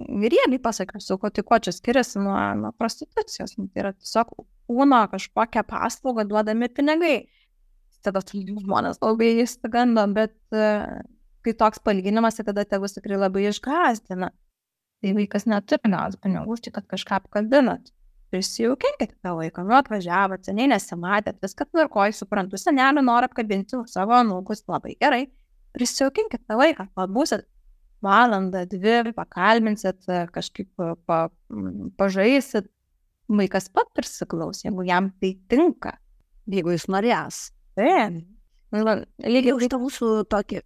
riebiai pasakysiu, tai ko čia skiriasi nuo prostitucijos. Tai yra tiesiog kūno kažkokią paslaugą duodami pinigai. Tada žmonės labai įsigando, bet kai toks palyginimas, tai tada tėvus tikrai labai išgąsdina. Tai vaikas neturi gauti pinigų, tai kad kažką apkabinat. Prisijaukinkite tą vaiką, atvažiavot, seniai nesimatėt, viskas tvarkoj, suprantu, senelį nori apkabinti savo anūkus, labai gerai. Prisijaukinkite tą vaiką, būsit valandą, 2, pakalbinsit, kažkaip pažaisit. Vaikas pat prisiklaus, jeigu jam tai tinka. Jeigu jis norės. Lygiai už tą mūsų tokį.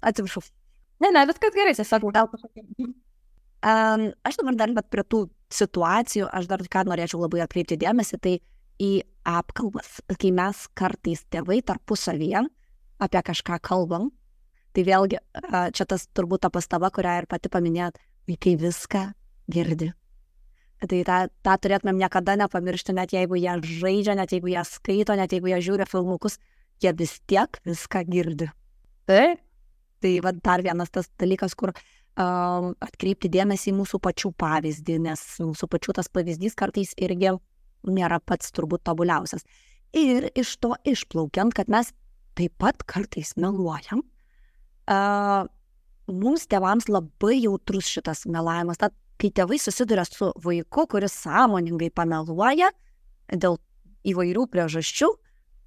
Atsiprašau. Ne, viskas gerai, tiesiog gal pasakyti. Aš dabar dar, bet prie tų situacijų, aš dar ką norėčiau labai atkreipti dėmesį, tai į apkalbas. Kai mes kartais tėvai tarpusavyje apie kažką kalbam, tai vėlgi čia tas turbūt ta pastaba, kurią ir pati paminėjot, vaikai viską girdi. Tai tą turėtumėm niekada nepamiršti, net jeigu jie žaidžia, net jeigu jie skaito, net jeigu jie žiūri filmukus, jie vis tiek viską girdi. Tai va dar vienas tas dalykas, kur atkreipti dėmesį į mūsų pačių pavyzdį, nes mūsų pačių tas pavyzdys kartais irgi nėra pats turbūt tobuliausias. Ir iš to išplaukiant, kad mes taip pat kartais meluojam, mums tėvams labai jautrus šitas melavimas. Tad kai tėvai susiduria su vaiku, kuris sąmoningai pameluoja dėl įvairių priežasčių,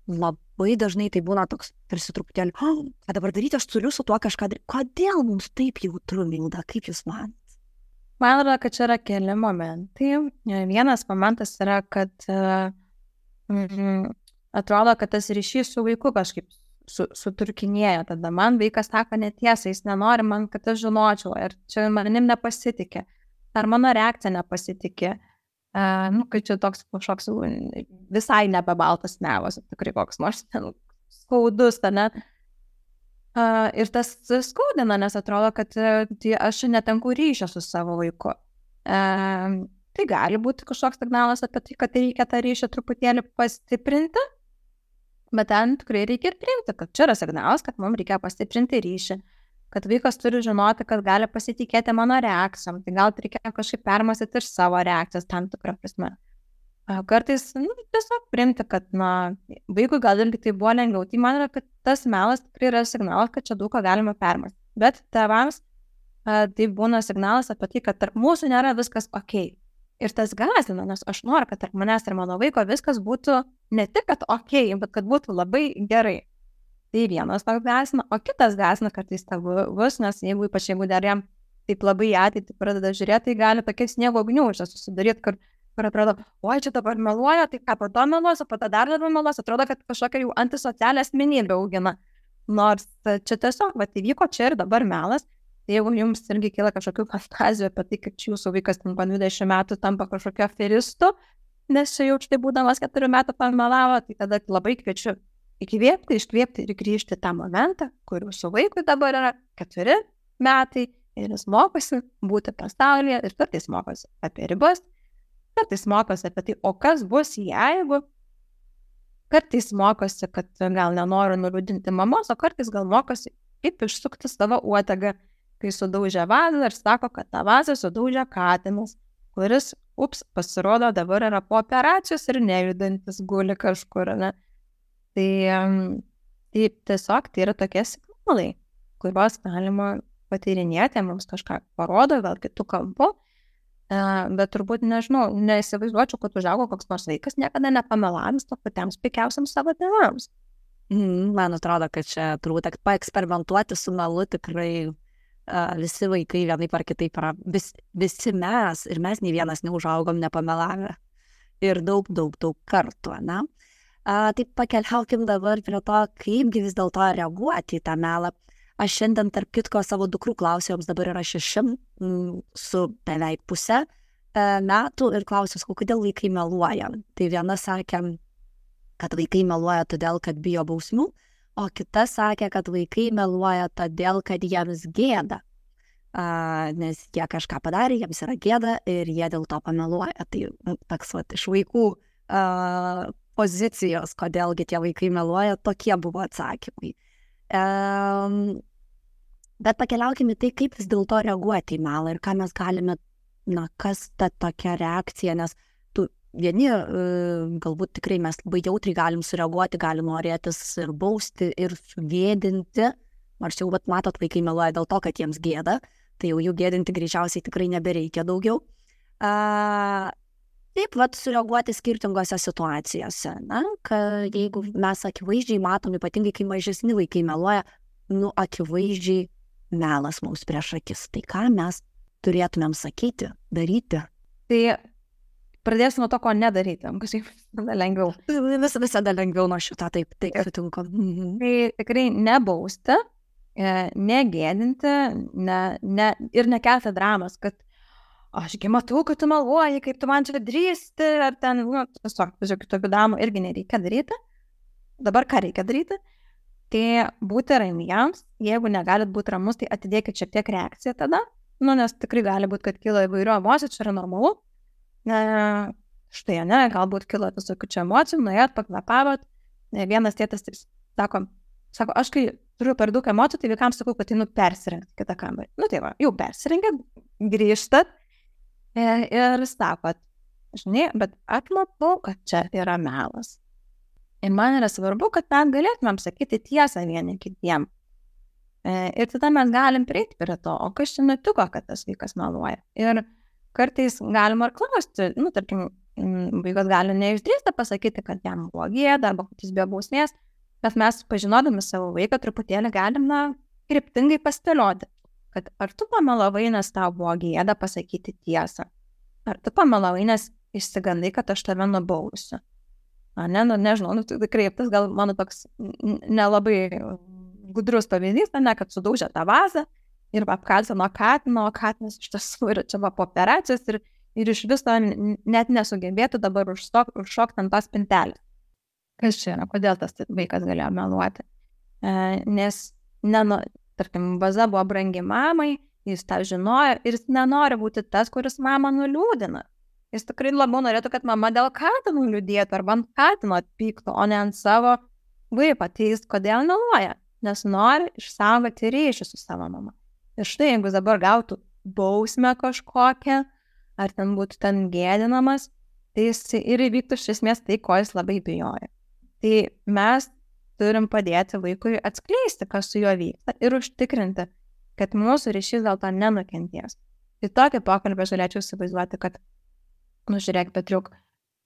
labai dažnai tai būna toks tarsi truputėlį, ką dabar daryti, aš turiu su tuo kažką daryti. Kodėl mums taip jautru, Milda, kaip jūs manat? Man atrodo, kad čia yra keli momentai. Vienas momentas yra, kad atrodo, kad tas ryšys su vaiku kažkaip suturkinėja. Tada man vaikas sako netiesą, jis nenori man, kad aš žinočiau, ir čia manim nepasitikė, ar mano reakcija nepasitikė. Kai čia toks kažkoks visai nebebaltas melas, tikrai koks nors skaudus, ne? Ir tas skaudina, nes atrodo, kad aš netenku ryšio su savo vaiku. Tai gali būti kažkoks signalas apie tai, kad reikia tą ryšį truputėlį pastiprinti, bet ten tikrai reikia ir priimti, kad čia yra signalas, kad mums reikia pastiprinti ryšį, kad vaikas turi žinoti, kad gali pasitikėti mano reakcijom, tai gal reikia kažkaip permąstyti ir savo reakcijas tam tikrą prasme. Kartais tiesiog priimti, kad vaikui gal irgi tai buvo lengviau, tai man yra, kad tas melas tikrai yra signalas, kad čia daug ką galima permąstyti, bet tėvams tai būna signalas apie tai, kad tarp mūsų nėra viskas okei. Ir tas gąsdina, nes aš noriu, kad tarp manęs ir mano vaiko viskas būtų ne tik, kad okei, bet kad būtų labai gerai. Tai vienas toks gąsdina, o kitas gąsdina kartais tėvus, nes ypač jeigu dar jam taip labai ateitį pradeda žiūrėti, tai gali tokia sniego gniūžė susidaryti, kur atrodo, oi, čia dabar meluoja, tai ką po to meluos, o po to dar labiau meluos, atrodo, kad kažkokia jau antisocialią asmenybę augina. Nors čia tiesiog, įvyko čia ir dabar melas. Jeigu jums irgi kyla kažkokių fantazijų apie tai, kad jūsų vaikas po 20 metų tampa kažkokio aferistu, nes čia jau štai būdamas 4 metų pamelavo, tai tada labai kviečiu įkvėpti, iškvėpti ir grįžti tą momentą, kur jūsų vaikui dabar yra 4 metai ir jis mokosi būti pasaulyje ir kartais mokosi apie ribas, kartais mokosi apie tai, o kas bus jeigu, kartais mokosi, kad gal nenoriu nuliūdinti mamos, o kartais gal mokosi kaip išsukti savo uodegą, kai sudaužė vazą ir sako, kad tą vazą sudaužė katinas, kuris, pasirodo, dabar yra po operacijos ir nejudantis guli kažkur, ne? Tai tiesiog tai yra tokie signalai, kuriuos galima patyrinėti, mums kažką parodo, gal kitų kampų, bet turbūt, nežinau, neįsivaizduočiau, kad užaugo koks nors vaikas, niekada nepamelavęs to patiems pikiausiams savo tėvams. Man atrodo, kad čia turbūt paeksperimentuoti su melu tikrai visi vaikai vienaip ar kitaip yra, visi mes, ir mes nei vienas neužaugom nepamelavę. Ir daug kartų, ne? Taip pakeliaukim dabar prie to, kaipgi vis dėlto reaguoti į tą melą. Aš šiandien, tarp kitko, savo dukrų klausiu, joms dabar yra 6 su beveik pusę metų ir klausiu, kodėl vaikai meluoja. Tai viena sakė, kad vaikai meluoja todėl, kad bijo bausmių, o kita sakė, kad vaikai meluoja todėl, kad jiems gėda, nes jie kažką padarė, jiems yra gėda ir jie dėl to pameluoja. Tai toks iš vaikų pozicijos, kodėlgi tie vaikai meluoja, tokie buvo atsakymai. Bet pakeliaukime tai, kaip vis dėlto reaguoti į melą ir ką mes galime, kas ta tokia reakcija, nes vieni galbūt tikrai mes labai jautriai galim sureaguoti, galim norėtis ir bausti, ir sugėdinti, nors jau, matot, vaikai meluoja dėl to, kad jiems gėda, tai jau jų gėdinti greičiausiai tikrai nebereikia daugiau. Taip, sureaguoti skirtingose situacijose, kad jeigu mes akivaizdžiai matom, ypatingai kai mažesni vaikai meluoja, akivaizdžiai melas mums prieš akis, tai ką mes turėtumėm sakyti, daryti? Tai pradėsiu nuo to, ko nedaryti, kažkaip lengviau. Visada lengviau nuo šitą, taip sutinku. Tai tikrai nebausti, negėdinti, ir nekelti dramas, kad ašgi matau, kad tu meluoji, kaip tu man čia drįsti, ar ten, tiesiog, tokių dramų irgi nereikia daryti. Dabar ką reikia daryti? Tai būti ramiems, jeigu negalit būti ramus, tai atidėkit šiek tiek reakciją tada, nes tikrai gali būti, kad kyla įvairių emocijų, čia yra normalu. Štai, galbūt kilo visokių čia emocijų, nuėjot, pakvepavot. Vienas tėtas sako, aš kai turiu per daug emocijų, tai vaikams sakau, kad persirengti kitą kambarį. Tai va, jau persirengėt, grįžtat ir sakot, žinai, bet atmatau, kad čia yra melas. Ir man yra svarbu, kad mes galėtumėm sakyti tiesą vieni kitiem. Ir tada mes galim prieiti prie to, o kas čia nutiko, kad tas vaikas meluoja. Ir kartais galima ir klausti, tarkim, vaikas gali neišdrįsti pasakyti, kad jam buvo gėda, arba kad jis bijo bausmės, bet mes, pažinodami savo vaiką, truputėlį galim, kryptingai paspėlioti, kad ar tu pamelavai, nes tau buvo gėda pasakyti tiesą, ar tu pamelavai, nes išsigandai, kad aš tave nubausiu. Ne, nu, nežinau, nu, tikrai tas gal mano toks nelabai gudrus pavyzdys, ne, kad sudaužė tą vazą ir apkaltino katiną, o katinas iš tiesų yra čia po operacijos ir iš viso net nesugebėtų dabar užšokti ant tos spintelės. Kas čia yra, kodėl tas vaikas galėjo meluoti? Nes, tarkim, vaza buvo brangi mamai, jis tą žinojo ir jis nenori būti tas, kuris mamą nuliūdina. Jis tikrai labiau norėtų, kad mama dėl katino liūdėtų arba ant katino atpyktų, o ne ant savo vaiko. Tai jis kodėl meluoja? Nes nori išsaugoti ryšį su savo mama. Ir štai, jeigu dabar gautų bausmę kažkokią, ar ten būtų ten gėdinamas, tai jis ir įvyktų iš esmės tai, ko jis labai bijoja. Tai mes turim padėti vaikui atskleisti, kas su juo vyksta ir užtikrinti, kad mūsų ryšys dėl to nenukentės. Tai tokį pokalbį aš galėčiau įsivaizduoti, kad žiūrėk, Petriuk,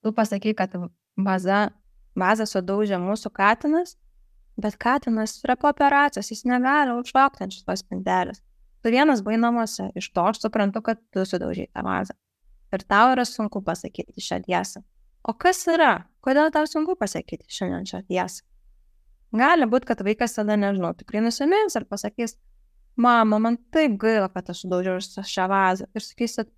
tu pasakai, kad vazą sudaužė mūsų katinas, bet katinas yra po operacijos, jis negali užšokti ant šitos spintelės. Tu vienas buvai namuose, iš to aš suprantu, kad tu sudaužai tą vazą. Ir tau yra sunku pasakyti šią tiesą. O kas yra? Kodėl tau sunku pasakyti šiandien šią tiesą? Gali būti, kad vaikas tada, nežinau, tikrai nusimins ir pasakys, mama, man taip gaila, kad aš sudaužiau šią vazą. Ir sakysit,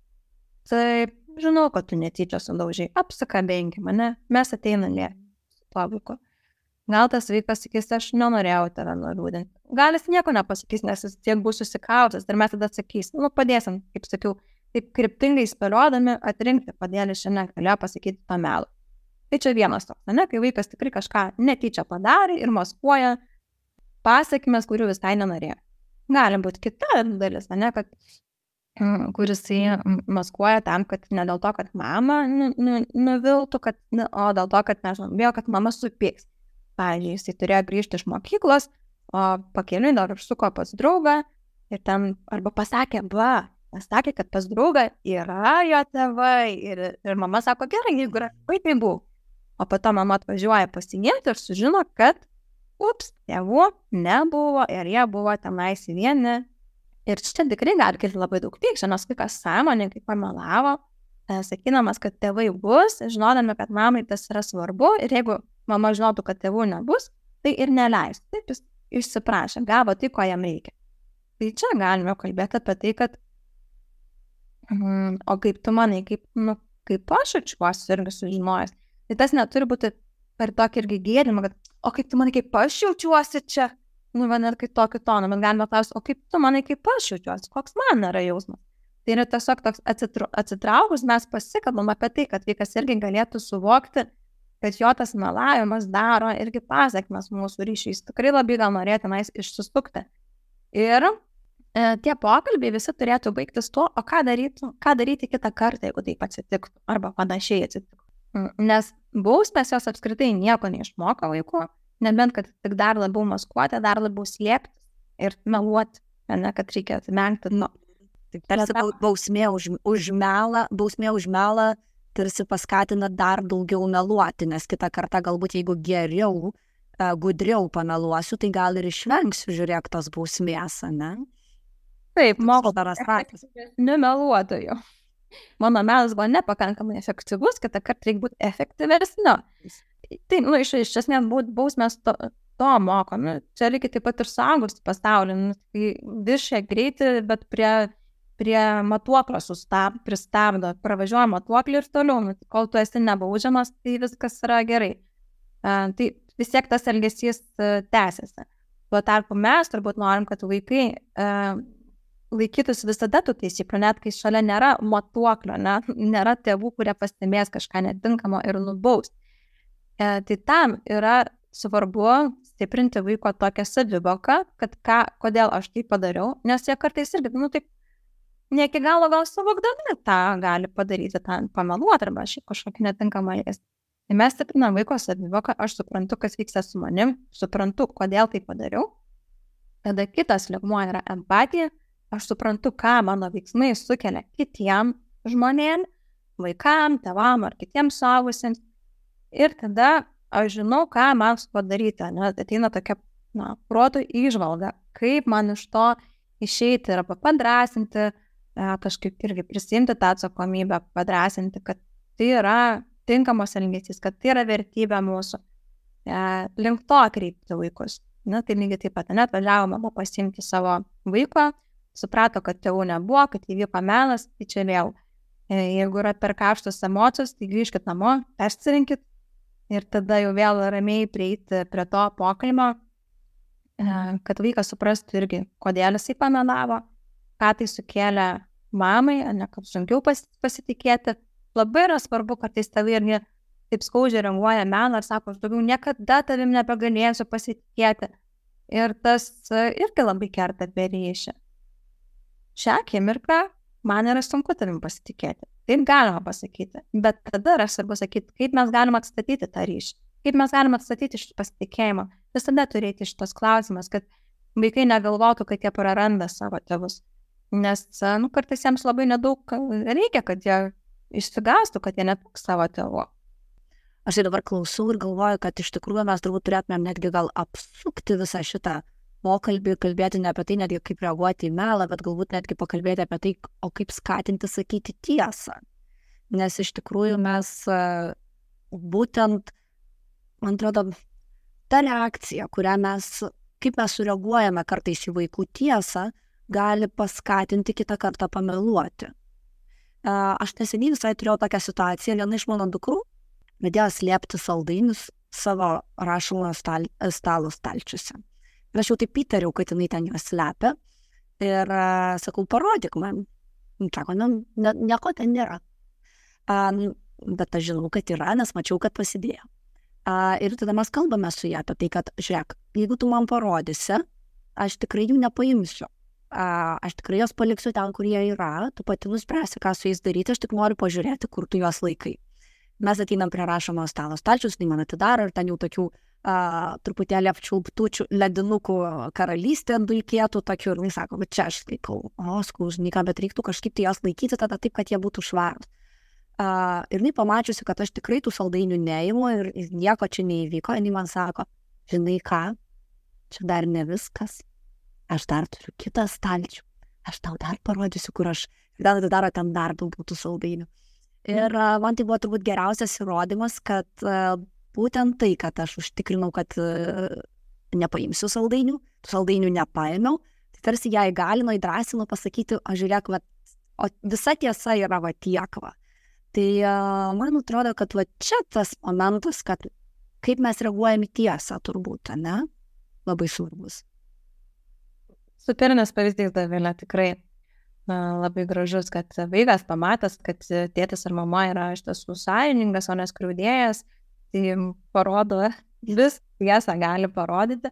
taip, žinau, kad tu netyčia sudaužiai, apsikabinki mane, mes ateiname su tuo vaiku. Gal tas vaikas sakys, aš nenorėjau tave nuliūdinti. Gal jis nieko nepasakys, nes jis tiek bus susikautęs ir mes tada sakys, padėsim, kaip sakiau, taip kryptingai spėliodami atrinkti, kodėl jis šiandien galėjo pasakyti tą melą. Tai čia vienas toks, kai vaikas tikrai kažką netyčia padarė ir maskuoja pasakymes, kurių visai nenorėjo. Gali būti kita dalis, kad kuris maskuoja tam, kad ne dėl to, kad mama nuviltų, o dėl to, kad bijo, kad mama supyks. Pavyzdžiui, jisai turėjo grįžti iš mokyklos, o pakeliui dar užsuko pas draugą ir ten arba pasakė, kad pas draugą yra jo tėvai ir mama sako, gerai, jeigu yra, tai buvo. O po to mama atvažiuoja pasigimti ir sužino, kad tėvų nebuvo ir jie buvo tenais vieni. Ir čia tikrai gali kilti labai daug pykčio, nes vaikas sąmoningai pamelavo, sakydamas, kad tėvai bus, žinodami, kad mamai tas yra svarbu ir jeigu mama žinotų, kad tėvų nebus, tai ir neleis. Taip jis išsiprašė, gavo tai, ko jam reikia. Tai čia galime kalbėti apie tai, kad o kaip tu manai, kaip aš jaučiuosi irgi sužinojęs. Tai tas neturi būti per tokį irgi gėdimą, kad o kaip tu manai, kaip aš jaučiuosi čia, net kaip tokį toną, bet galime klausti, o kaip tu manai, kaip aš jaučiuosi, koks man yra jausmas. Tai yra tiesiog toks atsitraukus, mes pasikalbam apie tai, kad vaikas irgi galėtų suvokti, kad jo tas melavimas daro irgi pasekmes mūsų ryšiais. Tikrai labai gal norėtumais išsisukti. Ir tie pokalbiai visi turėtų baigtis tuo, o ką daryti kitą kartą, jeigu taip atsitiktų, arba panašiai atsitiktų. Nes bausmės jos apskritai nieko neišmoko vaikų, nebent kad tik dar labiau maskuoti, dar labiau slėpti ir meluoti, kad reikia atmengti. Tarsi bausmė už melą tarsi paskatina dar daugiau meluoti, nes kitą kartą galbūt jeigu geriau, gudriau pameluosiu, tai gal ir išvengsiu, žiūrėk, tos bausmės, ne? Taip, nemeluotojų. Mano melas buvo nepakankamai efektyvus, kitą kartą reikia būti efektyvesniu. Tai, iš esmės, bausmės to moko. Čia reikia taip pat ir suaugusių pasaulį. Tai viršė greitį, bet prie matuoklio pristabdo, pravažiuoja matuoklį ir toliau. Kol tu esi nebaudžiamas, tai viskas yra gerai. Tai vis tiek tas elgesys tęsiasi. Tuo tarpu mes turbūt norim, kad vaikai laikytųsi visada tų taisyklių, net kai šalia nėra matuoklio, nėra tėvų, kurie pastebės kažką netinkamo ir nubaus. Tai tam yra svarbu stiprinti vaiko tokią savivoką, kad kodėl aš tai padariau, nes jie kartais irgi, taip, ne iki galo gal suvokdami tą gali padaryti, tą pameluoti arba šiaip kažkokį netinkamą elgesį. Tai mes stiprinam vaiko savivoką, aš suprantu, kas vyksta su manim, suprantu, kodėl tai padariau. Tada kitas lygmuo yra empatija. Aš suprantu, ką mano veiksmai sukelia kitiem žmonėm, vaikam, tėvam ar kitiems suaugusiems. Ir tada aš žinau, ką man padaryti. Ateina tokia proto įžvalga, kaip man iš to išeiti arba padrasinti, kažkaip irgi prisimti tą atsakomybę, padrasinti, kad tai yra tinkamas elgesys, kad tai yra vertybė mūsų. Link to kreipti vaikus. Na, tai lygiai taip pat, net važiavo mama pasiimti savo vaiko, suprato, kad tėvų nebuvo, kad įvyko melas, tai čia vėl. Jeigu yra per karštos emocijos, tai grįžkit namo, persirinkit ir tada jau vėl ramiai prieiti prie to pokalbio, kad vaikas suprastų irgi, kodėl jisai pamelavo, ką tai sukėlė mamai, ne kaip sunkiau pasitikėti. Labai yra svarbu, kartais tėvai irgi taip skaudžiai reaguoja melą ir sako, aš daugiau niekada tavim nebegalėsiu pasitikėti. Ir tas irgi labai kerta per ryšį. Šią akimirką man yra sunku tavim pasitikėti. Taip galima pasakyti. Bet tada yra svarbu sakyti, kaip mes galime atstatyti tą ryšį. Kaip mes galime atstatyti šitą pasitikėjimą. Visada turėti šitos klausimas, kad vaikai negalvotų, kad jie praranda savo tėvus. Nes kartais jiems labai nedaug reikia, kad jie išsigastų, kad jie neteks savo tėvų. Aš dabar klausau ir galvoju, kad iš tikrųjų mes turbūt turėtumėm netgi gal apsukti visą šitą pokalbį, kalbėti ne apie tai, netgi kaip reaguoti į melą, bet galbūt netgi pakalbėti apie tai, o kaip skatinti sakyti tiesą. Nes iš tikrųjų mes būtent, man atrodo, ta reakcija, kaip mes sureaguojame kartais į vaikų tiesą, gali paskatinti kitą kartą pameluoti. Aš neseniai visai turėjau tokią situaciją, viena iš mano dukrų pradėjo slėpti saldainius savo rašomojo stalo stalčiuose. Ir aš jau taip įtariau, kad jinai ten juos slepia. Ir sakau, parodyk man. Sako, nieko ten nėra. Bet aš žinau, kad yra, nes mačiau, kad pasidėjo. Ir tada mes kalbame su ją apie tai, kad, žiūrėk, jeigu tu man parodysi, aš tikrai jų nepaimsiu. Aš tikrai jos paliksiu ten, kur jie yra, tu pati nuspręsi, ką su jais daryti, aš tik noriu pažiūrėti, kur tu juos laikai. Mes ateinam prie rašomo stalo stalčius, tai man atidaro ir ten jau tokių truputėlį apčiulptučių ledinukų karalystė dulkėtų tokių ir jis sako, bet čia aš laikau, skausniką, bet reiktų kažkaip tai jos laikyti tada taip, kad jie būtų švarūs. Ir jinai pamačiusi, kad aš tikrai tų saldainių neimu ir nieko čia neįvyko, jinai man sako, žinai ką, čia dar ne viskas, aš dar turiu kitą stalčių, aš tau dar parodysiu, kur aš, ir dar atidaro ten dar daugiau tų saldainių. Ir man tai buvo turbūt geriausias įrodymas, kad būtent tai, kad aš užtikrinau, kad nepaimsiu saldainių, tų saldainių nepaėmiau, tai tarsi ją įgalino, įdrasino pasakyti, žiūrėk, o visa tiesa yra tiek. Tai man atrodo, kad čia tas momentas, kad kaip mes reaguojame į tiesą turbūt, ne? Labai svarbus. Superinis pavyzdys, Dovilė, tikrai labai gražus, kad vaikas pamatęs, kad tėtis ar mama yra iš tiesų sąžiningas, o neskriaudėjas, tai parodo, vis tiesą gali parodyti.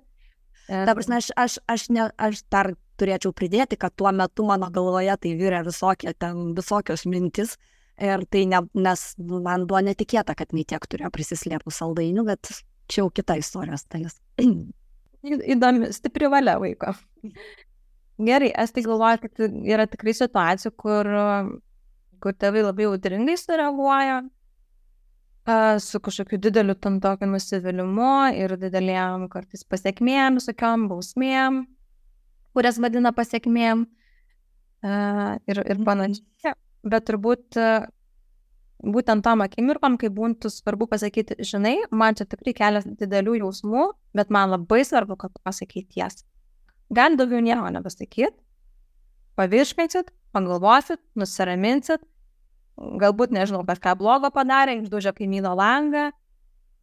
Ta prasme, aš dar turėčiau pridėti, kad tuo metu mano galvoje tai virė visokios mintis ir tai nes man buvo netikėta, kad nei tiek turėjo prisislėpų saldainių, bet čia jau kita istorijos dalis. Įdomi, stipri valia vaiko. Gerai, aš tai galvoju, kad yra tikrai situacijų, kur tėvai labai audringai sureaguoja su kažkokiu dideliu tam tokiu nusivylimu ir didelėm kartais pasiekmėm, visokiom bausmėm, kurias vadina pasiekmėm ir panašiai. Bet turbūt būtent tom akimirkom, kai būtų svarbu pasakyti, žinai, man čia tikrai kelia didelių jausmų, bet man labai svarbu, kad pasakyti tiesą. Gali daugiau nieko nepasakyti, pavirškinsit, pagalvosit, nusiraminsit, galbūt, nežinau, kažką blogo padarė, išdaužė kaimyno langą,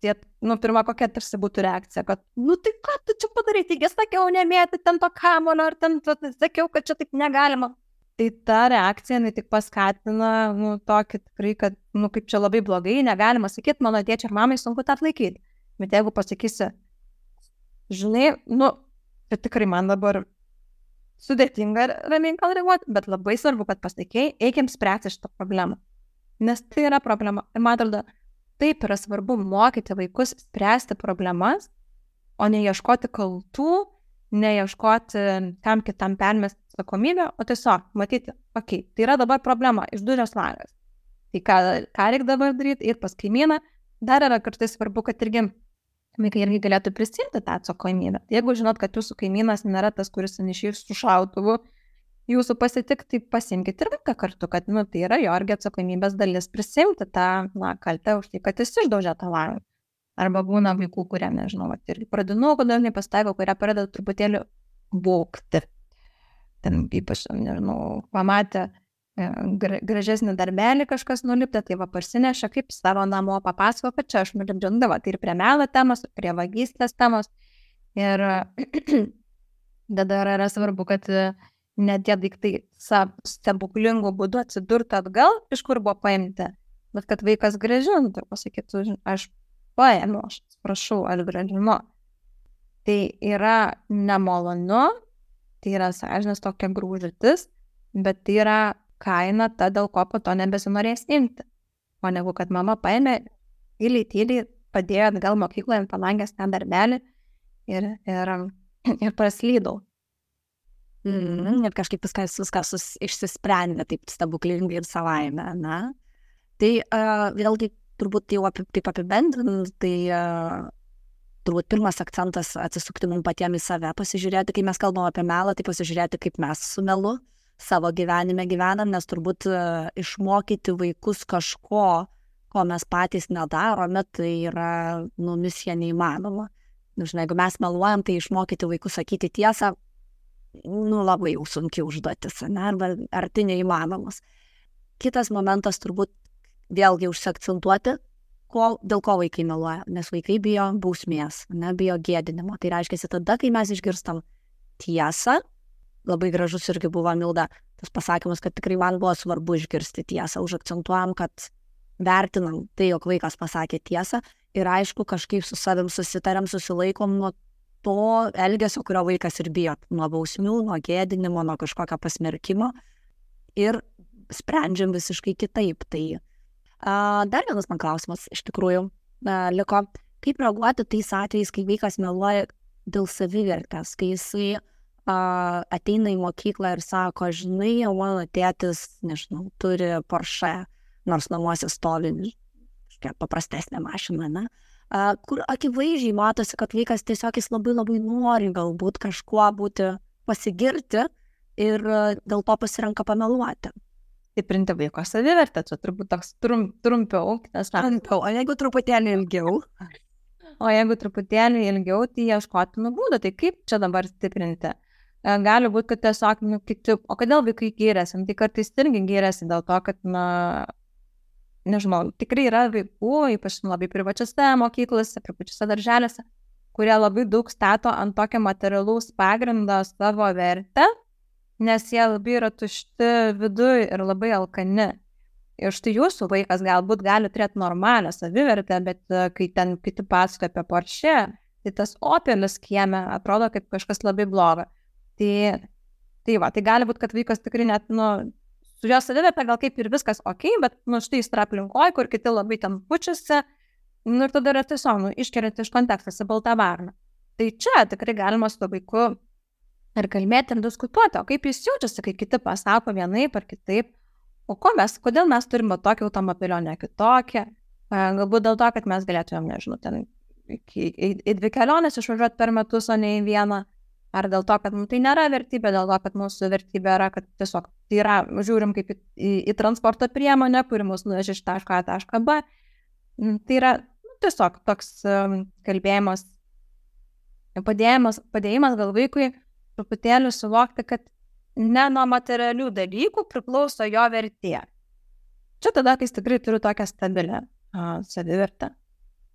tai, pirma kokia tarsi būtų reakcija, kad, tai ką tu čia padarai, taigi sakiau nemėti ten to kamuolio, ar ten sakiau, kad čia taip negalima. Tai ta reakcija, jinai tik paskatina, tokį tikrai, kad, kaip čia labai blogai, negalima sakyti, mano tėčiui ir mamai sunku tą atlaikyti. Bet jeigu pasakysi, žinai, tai tikrai man dabar sudėtinga ramiai gal reaguoti, bet labai svarbu, kad pasakėjai, eikim spręsti šitą problemą. Nes tai yra problema. Ir man atrodo, taip yra svarbu mokyti vaikus spręsti problemas, o ne ieškoti kaltų, ne ieškoti kam kitam permesti atsakomybę, o tiesiog matyti, tai yra dabar problema, išdūžęs langas. Tai ką reikia dabar daryti, ir pas kaimyną, dar yra kartais svarbu, kad vaikai irgi galėtų prisimti tą atsakomybę. Jeigu žinot, kad jūsų kaimynas nėra tas, kuris išeis su šautuvu jūsų pasitikti, tai pasimkite ir vaiką kartu, kad, tai yra jo irgi atsakomybės dalis prisimti tą, kaltę už tai, kad jis išdaužė tą langą. Arba būna vaikų, kurie, nežinau, ir pradinukų dažnai pasitaiko, kurie pradeda truputėlį būkti. Ten ypač, nežinau, pamatė gražesnį darbelį kažkas nulipti, tai parsineša kaip savo namo, papasako, kad čia aš nulipdžiu, tai ir prie melo temos, ir prie vagystės temos. Ir tada yra svarbu, kad net tie daiktai stebuklingų būdų atsidurtų atgal, iš kur buvo paimti, bet kad vaikas grąžintų ir pasakytų, aš paėmiau, aš prašau, aš grąžinu. Tai yra nemalonu, tai yra sąžinės tokia grūžatis, bet tai yra kaina ta, dėl ko po to nebesinorės imti. O negu, kad mama paėmė, tyliai padėjo atgal mokykloje ant palangės tą darbelį ir praslydau. Ir kažkaip viskas išsisprendė taip stebuklingai ir savaime, na. Tai vėlgi turbūt jau taip apibendrinant, tai turbūt pirmas akcentas atsisukti mums patiems į save, pasižiūrėti, kai mes kalbam apie melą, tai pasižiūrėti, kaip mes su melu savo gyvenime gyvenam, nes turbūt išmokyti vaikus kažko, ko mes patys nedarome, tai yra, misija neįmanoma. Žinai, jeigu mes meluojam, tai išmokyti vaikus sakyti tiesą, labai jau sunki užduotis, arba arti neįmanomas. Kitas momentas turbūt vėlgi užsiakcentuoti, dėl ko vaikai meluoja, nes vaikai bijo bausmės, bijo gėdinimo. Tai reiškia, tada, kai mes išgirstam tiesą, labai gražus irgi buvo, Milda, tas pasakymas, kad tikrai man buvo svarbu išgirsti tiesą, užakcentuojam, kad vertinam tai, jog vaikas pasakė tiesą ir aišku, kažkaip su savim susitariam, susilaikom nuo to elgesio, kurio vaikas ir bijo, nuo bausmių, nuo gėdinimo, nuo kažkokio pasmerkimo ir sprendžiam visiškai kitaip. Tai dar vienas man klausimas iš tikrųjų liko, kaip reaguoti tais atvejais, kai vaikas meluoja dėl savivertės, kai jisai ateina į mokyklą ir sako, žinai, jau mano tėtis, nežinau, turi Porsche, nors namuose stovi kažkokia paprastesnė mašina, kur akivaizdžiai matosi, kad vaikas tiesiog jis labai nori galbūt kažkuo būti pasigirti ir dėl to pasirenka pameluoti. Stiprinti vaiko savivertę, čia turbūt toks trumpiau. O jeigu truputėlį ilgiau? O jeigu truputėlį ilgiau, tai ieškoti būdų, tai kaip čia dabar stiprinti? Gali būti, kad tiesiog, o kodėl vaikai gyrėsi? Tai kartais irgi gyrėsi dėl to, kad, nežinau, tikrai yra vaikų, ypač labai privačiose mokyklose, privačiose darželėse, kurie labai daug stato ant tokio materialaus pagrindo savo vertę, nes jie labai yra tušti viduj ir labai alkani. Ir štai jūsų vaikas galbūt gali turėti normalią savivertę, bet kai ten kiti pasakoja apie Porsche, tai tas Opelis kieme atrodo kaip kažkas labai blogo. Tai gali būti, kad vaikas tikrai net, su jo savivertė gal kaip ir viskas ok, bet, štai jis yra aplinkoj, kur kiti labai ten pučiasi, ir tada yra tiesiog, iškeliant iš kontekstą į baltą varną. Tai čia tikrai galima su to vaiku ir kalbėti ir diskutuoti, o kaip jis jaučiasi, kai kiti pasako vienaip ar kitaip, o kodėl mes turime tokį automobilį, o ne kitokį, galbūt dėl to, kad mes galėtumėm, nežinau, ten į 2 keliones išvažiuoti per metus, o ne į vieną. Ar dėl to, kad tai nėra vertybė, dėl to, kad mūsų vertybė yra, kad tiesiog tai yra, žiūrim kaip į transporto priemonę, kuri mus nuvežė iš taško A tašką B. Tai yra tiesiog toks kalbėjimas, padėjimas gal vaikui truputėlį suvokti, kad ne nuo materialių dalykų priklauso jo vertė. Čia tada, kai tikrai turiu tokią stabilę savivertę.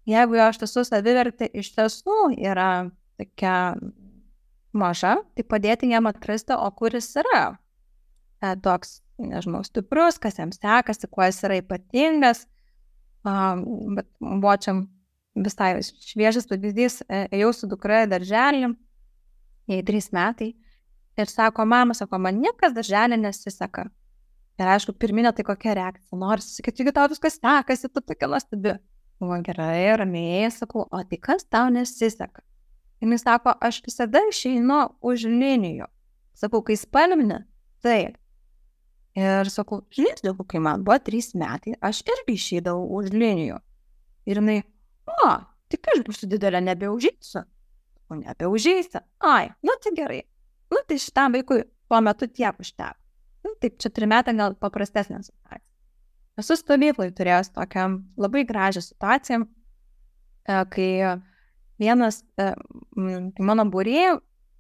Jeigu jo iš tiesų savivertė iš tiesų yra tokia maža, tai padėti jam atrasti, o kuris yra toks, nežinau, stiprus, kas jam sekasi, kuo jis yra ypatingas. Bet buvo čia visai šviežas pavyzdys, ėjau su dukra į darželį, jai 3 metai, ir sako, mama, man niekas darželį nesiseka. Ir aišku, pirminė tai kokia reakcija, nors, kad jeigu tau viskas sekasi, tu tokia nuostabi. Buvo gerai, ramiai, sakau, o tai kas tau nesiseka? Ir jis sako, aš visada išeinu už linijų. Sakau, kai spalvinė, taip. Ir sakau, žinai, kai man buvo 3 metai, aš irgi išeidavau už linijų. Ir jinai, tik aš būsiu didelė, nebeužeisiu. O nebeužeisiu. Tai gerai. Tai šitam vaikui tuo metu tiek užteko. Taip, čia 3 metai gal paprastesnė situacija. Esu stovyklai turėjęs tokią labai gražią situaciją, kai vienas mano būrėjų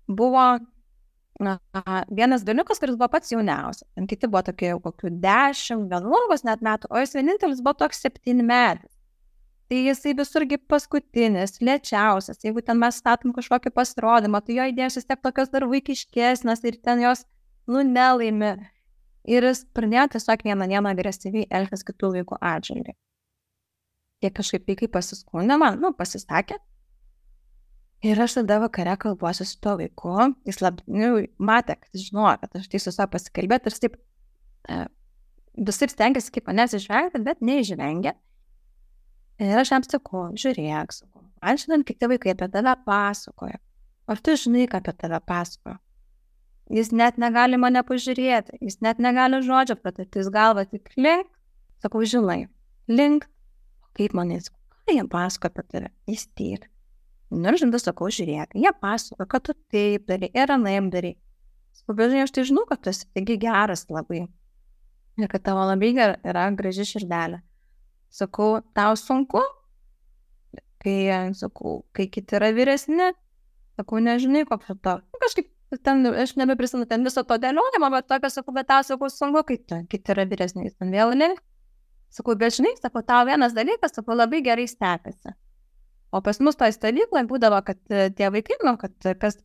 buvo vienas berniukas, kuris buvo pats jauniausias. Ten kiti buvo tokie jau kokių 10-11 net metų, o jis vienintelis buvo toks 7 metais. Tai jisai visurgi paskutinis, lėčiausias. Jeigu ten mes statom kažkokį pasirodymą, tai jo idėjos vis tiek tokios dar vaikiškesnės ir ten jos, nelaimi. Ir jis pradėjo tiesiog vieną dieną agresyviai elgtis kitų vaikų atžvilgiu. Jie kažkaip vaikai pasiskundė man, pasisakė. Ir aš tada vakare kalbuosiu su tuo vaiku. Jis matė, kad jis žinojo, kad aš tai su savo pasikalbėti. Ir taip visai stengiasi kaip manęs išvengti, bet neišvengia. Ir aš jam sakau, žiūrėk, man šiandien kiti vaikai apie tave pasakoja. Ar tu žinai, ką apie tave pasakoja? Jis net negali mane pažiūrėti, jis net negali žodžio pratarti, jis galva tik link. Sakau, žinai, link. Kaip man jis, ką jie pasakoja apie tave? Jis tyr. Ir žinai, sakau, žiūrėk, jie pasakoja, kad tu taip darai ir anaip darai. Sakau, bet žinai, aš tai žinau, kad tu esi taigi geras labai. Ir kad tavo labai yra graži širdelė. Sakau, tau sunku? Kai kiti yra vyresni, sakau, nežinai, koks to. Kažkaip ten, aš nebeprisimenu ten viso to dėliojimo, bet tokio, sakau, bet tau, sakau, sunku, kai kiti yra vyresni, ten vėl link. Sakau, bet žinai, sakau, tau vienas dalykas, sakau, labai gerai sekasi. O pas mus toj stovykloj būdavo, kad tie vaikai, kad kas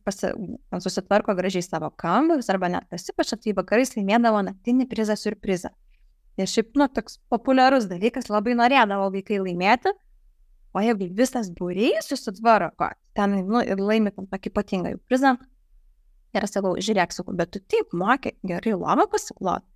susitvarko gražiai savo kambarius arba net pasipašia, tai vakarais laimėdavo naktinį prizą siurprizą. Ir šiaip, toks populiarus dalykas, labai norėdavo vaikai laimėti, o jeigu visas būrys susitvarko, ten, ir laimi tam tokį ypatingą prizą. Ir sakau, žiūrėk, sakau, bet tu taip moki gerai lovą pasikloti.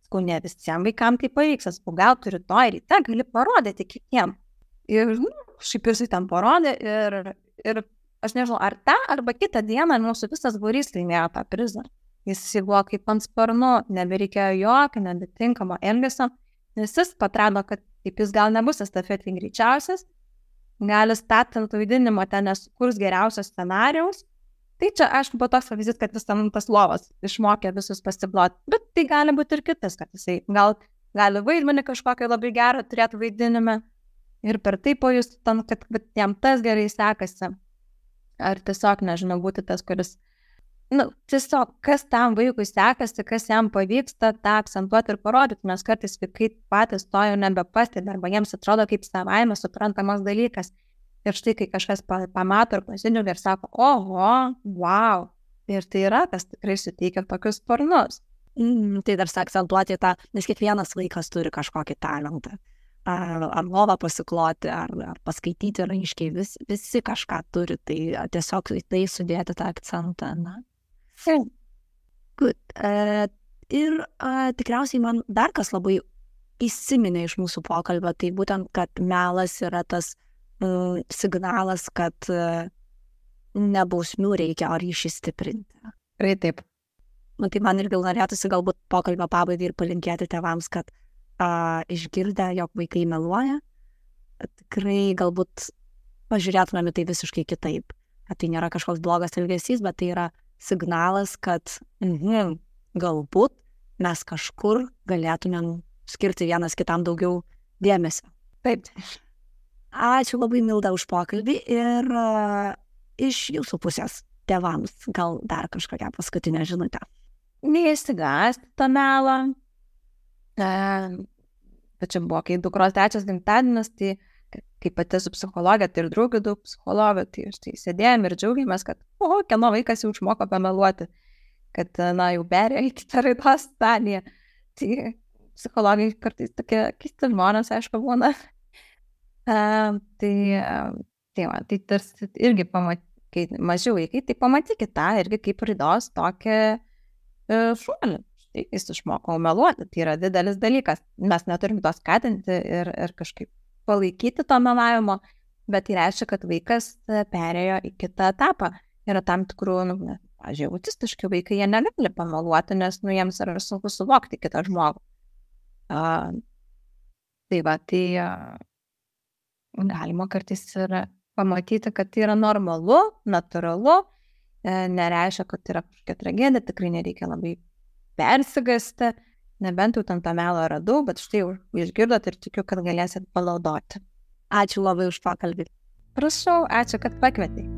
Sakau, ne visiems vaikams tai pavyks, sakau, gal tu rytoj ryte gali parodyti kitiems. Ir šiaip jisai ten parodė ir aš nežinau, ar tą arba kitą dieną mūsų visas būrys laimėjo tą prizą. Jis buvo kaip ant sparnų, nebereikėjo jokio, nebetinkamo elgesio, nes jis atrado, kad taip jis gal nebus estafetėj greičiausias, gali statant vaidinimo ten nesukurs geriausios scenarijaus. Tai čia, aišku, buvo toks pavyzdys, kad jis ten tas lovas išmokė visus pasibloti, bet tai gali būti ir kitas, kad jisai gali vaidmenį kažkokį labai gerą turėti vaidinime ir per tai pajustų ten, kad jam tas gerai sekasi. Ar tiesiog, nežinau, būti tas, kuris tiesiog, kas tam vaikui sekasi, kas jam pavyksta, tą akcentuoti ir parodyti, nes kartais vaikai patys to jau nebepastebi, arba jiems atrodo kaip savaime suprantamas dalykas. Ir štai, kai kažkas pamato ir pasidžiaugia ir sako, oho, wow, ir tai yra, kas tikrai suteikia tokius sparnus. Tai dar akcentuoti tą, nes kiekvienas vaikas turi kažkokį talentą. Ar lovą pasikloti, ar paskaityti raiškiai, visi kažką turi, tai tiesiog tai sudėti tą akcentą, Good. Ir tikriausiai man dar kas labai įsiminė iš mūsų pokalbio, tai būtent, kad melas yra tas signalas, kad ne bausmių reikia, o ryšį stiprinti. Taip. Tai man irgi norėtųsi galbūt pokalbio pabaigai ir palinkėti tėvams, kad išgirdę, jog vaikai meluoja, tikrai galbūt pažiūrėtumėme tai visiškai kitaip. Tai nėra kažkoks blogas elgesys, bet tai yra signalas, kad galbūt mes kažkur galėtumėm skirti vienas kitam daugiau dėmesio. Taip. Ačiū labai, Milda, už pokalbį ir iš jūsų pusės tėvams gal dar kažkokią paskutinę žinutę. Neįsigąsti tą melą. Bet čia buvo, kai dukros 3 gimtadienis, tai kaip pati su psichologė, tai ir draugų daug psichologų, tai štai sėdėjom ir džiaugiamės, kad kieno vaikas jau išmoko pameluoti, kad jau perėjo į kitą raidos stadiją. Tai psichologai kartais tokie keisti žmonės, aišku, būna. Tai tarsi irgi kai mažiau vaikai, tai pamatykit tą irgi kaip raidos tokį šuolį. Štai jis išmoko meluoti, tai yra didelis dalykas. Mes neturim to skatinti ir kažkaip palaikyti to melavimo, bet tai reiškia, kad vaikas perėjo į kitą etapą. Yra tam tikrų, pavyzdžiui, autistiški vaikai, jie negali pameluoti, nes jiems yra sunku suvokti kitą žmogų. Tai galima kartais ir pamatyti, kad tai yra normalu, natūralu nereiškia, kad tai yra kažkokia tragedija, tikrai nereikia labai persigasti, nebent jau tam tą melą radau, bet štai jau išgirdot ir tikiu, kad galėsit palaudoti. Ačiū labai už pokalbį. Prašau, ačiū, kad pakvietei.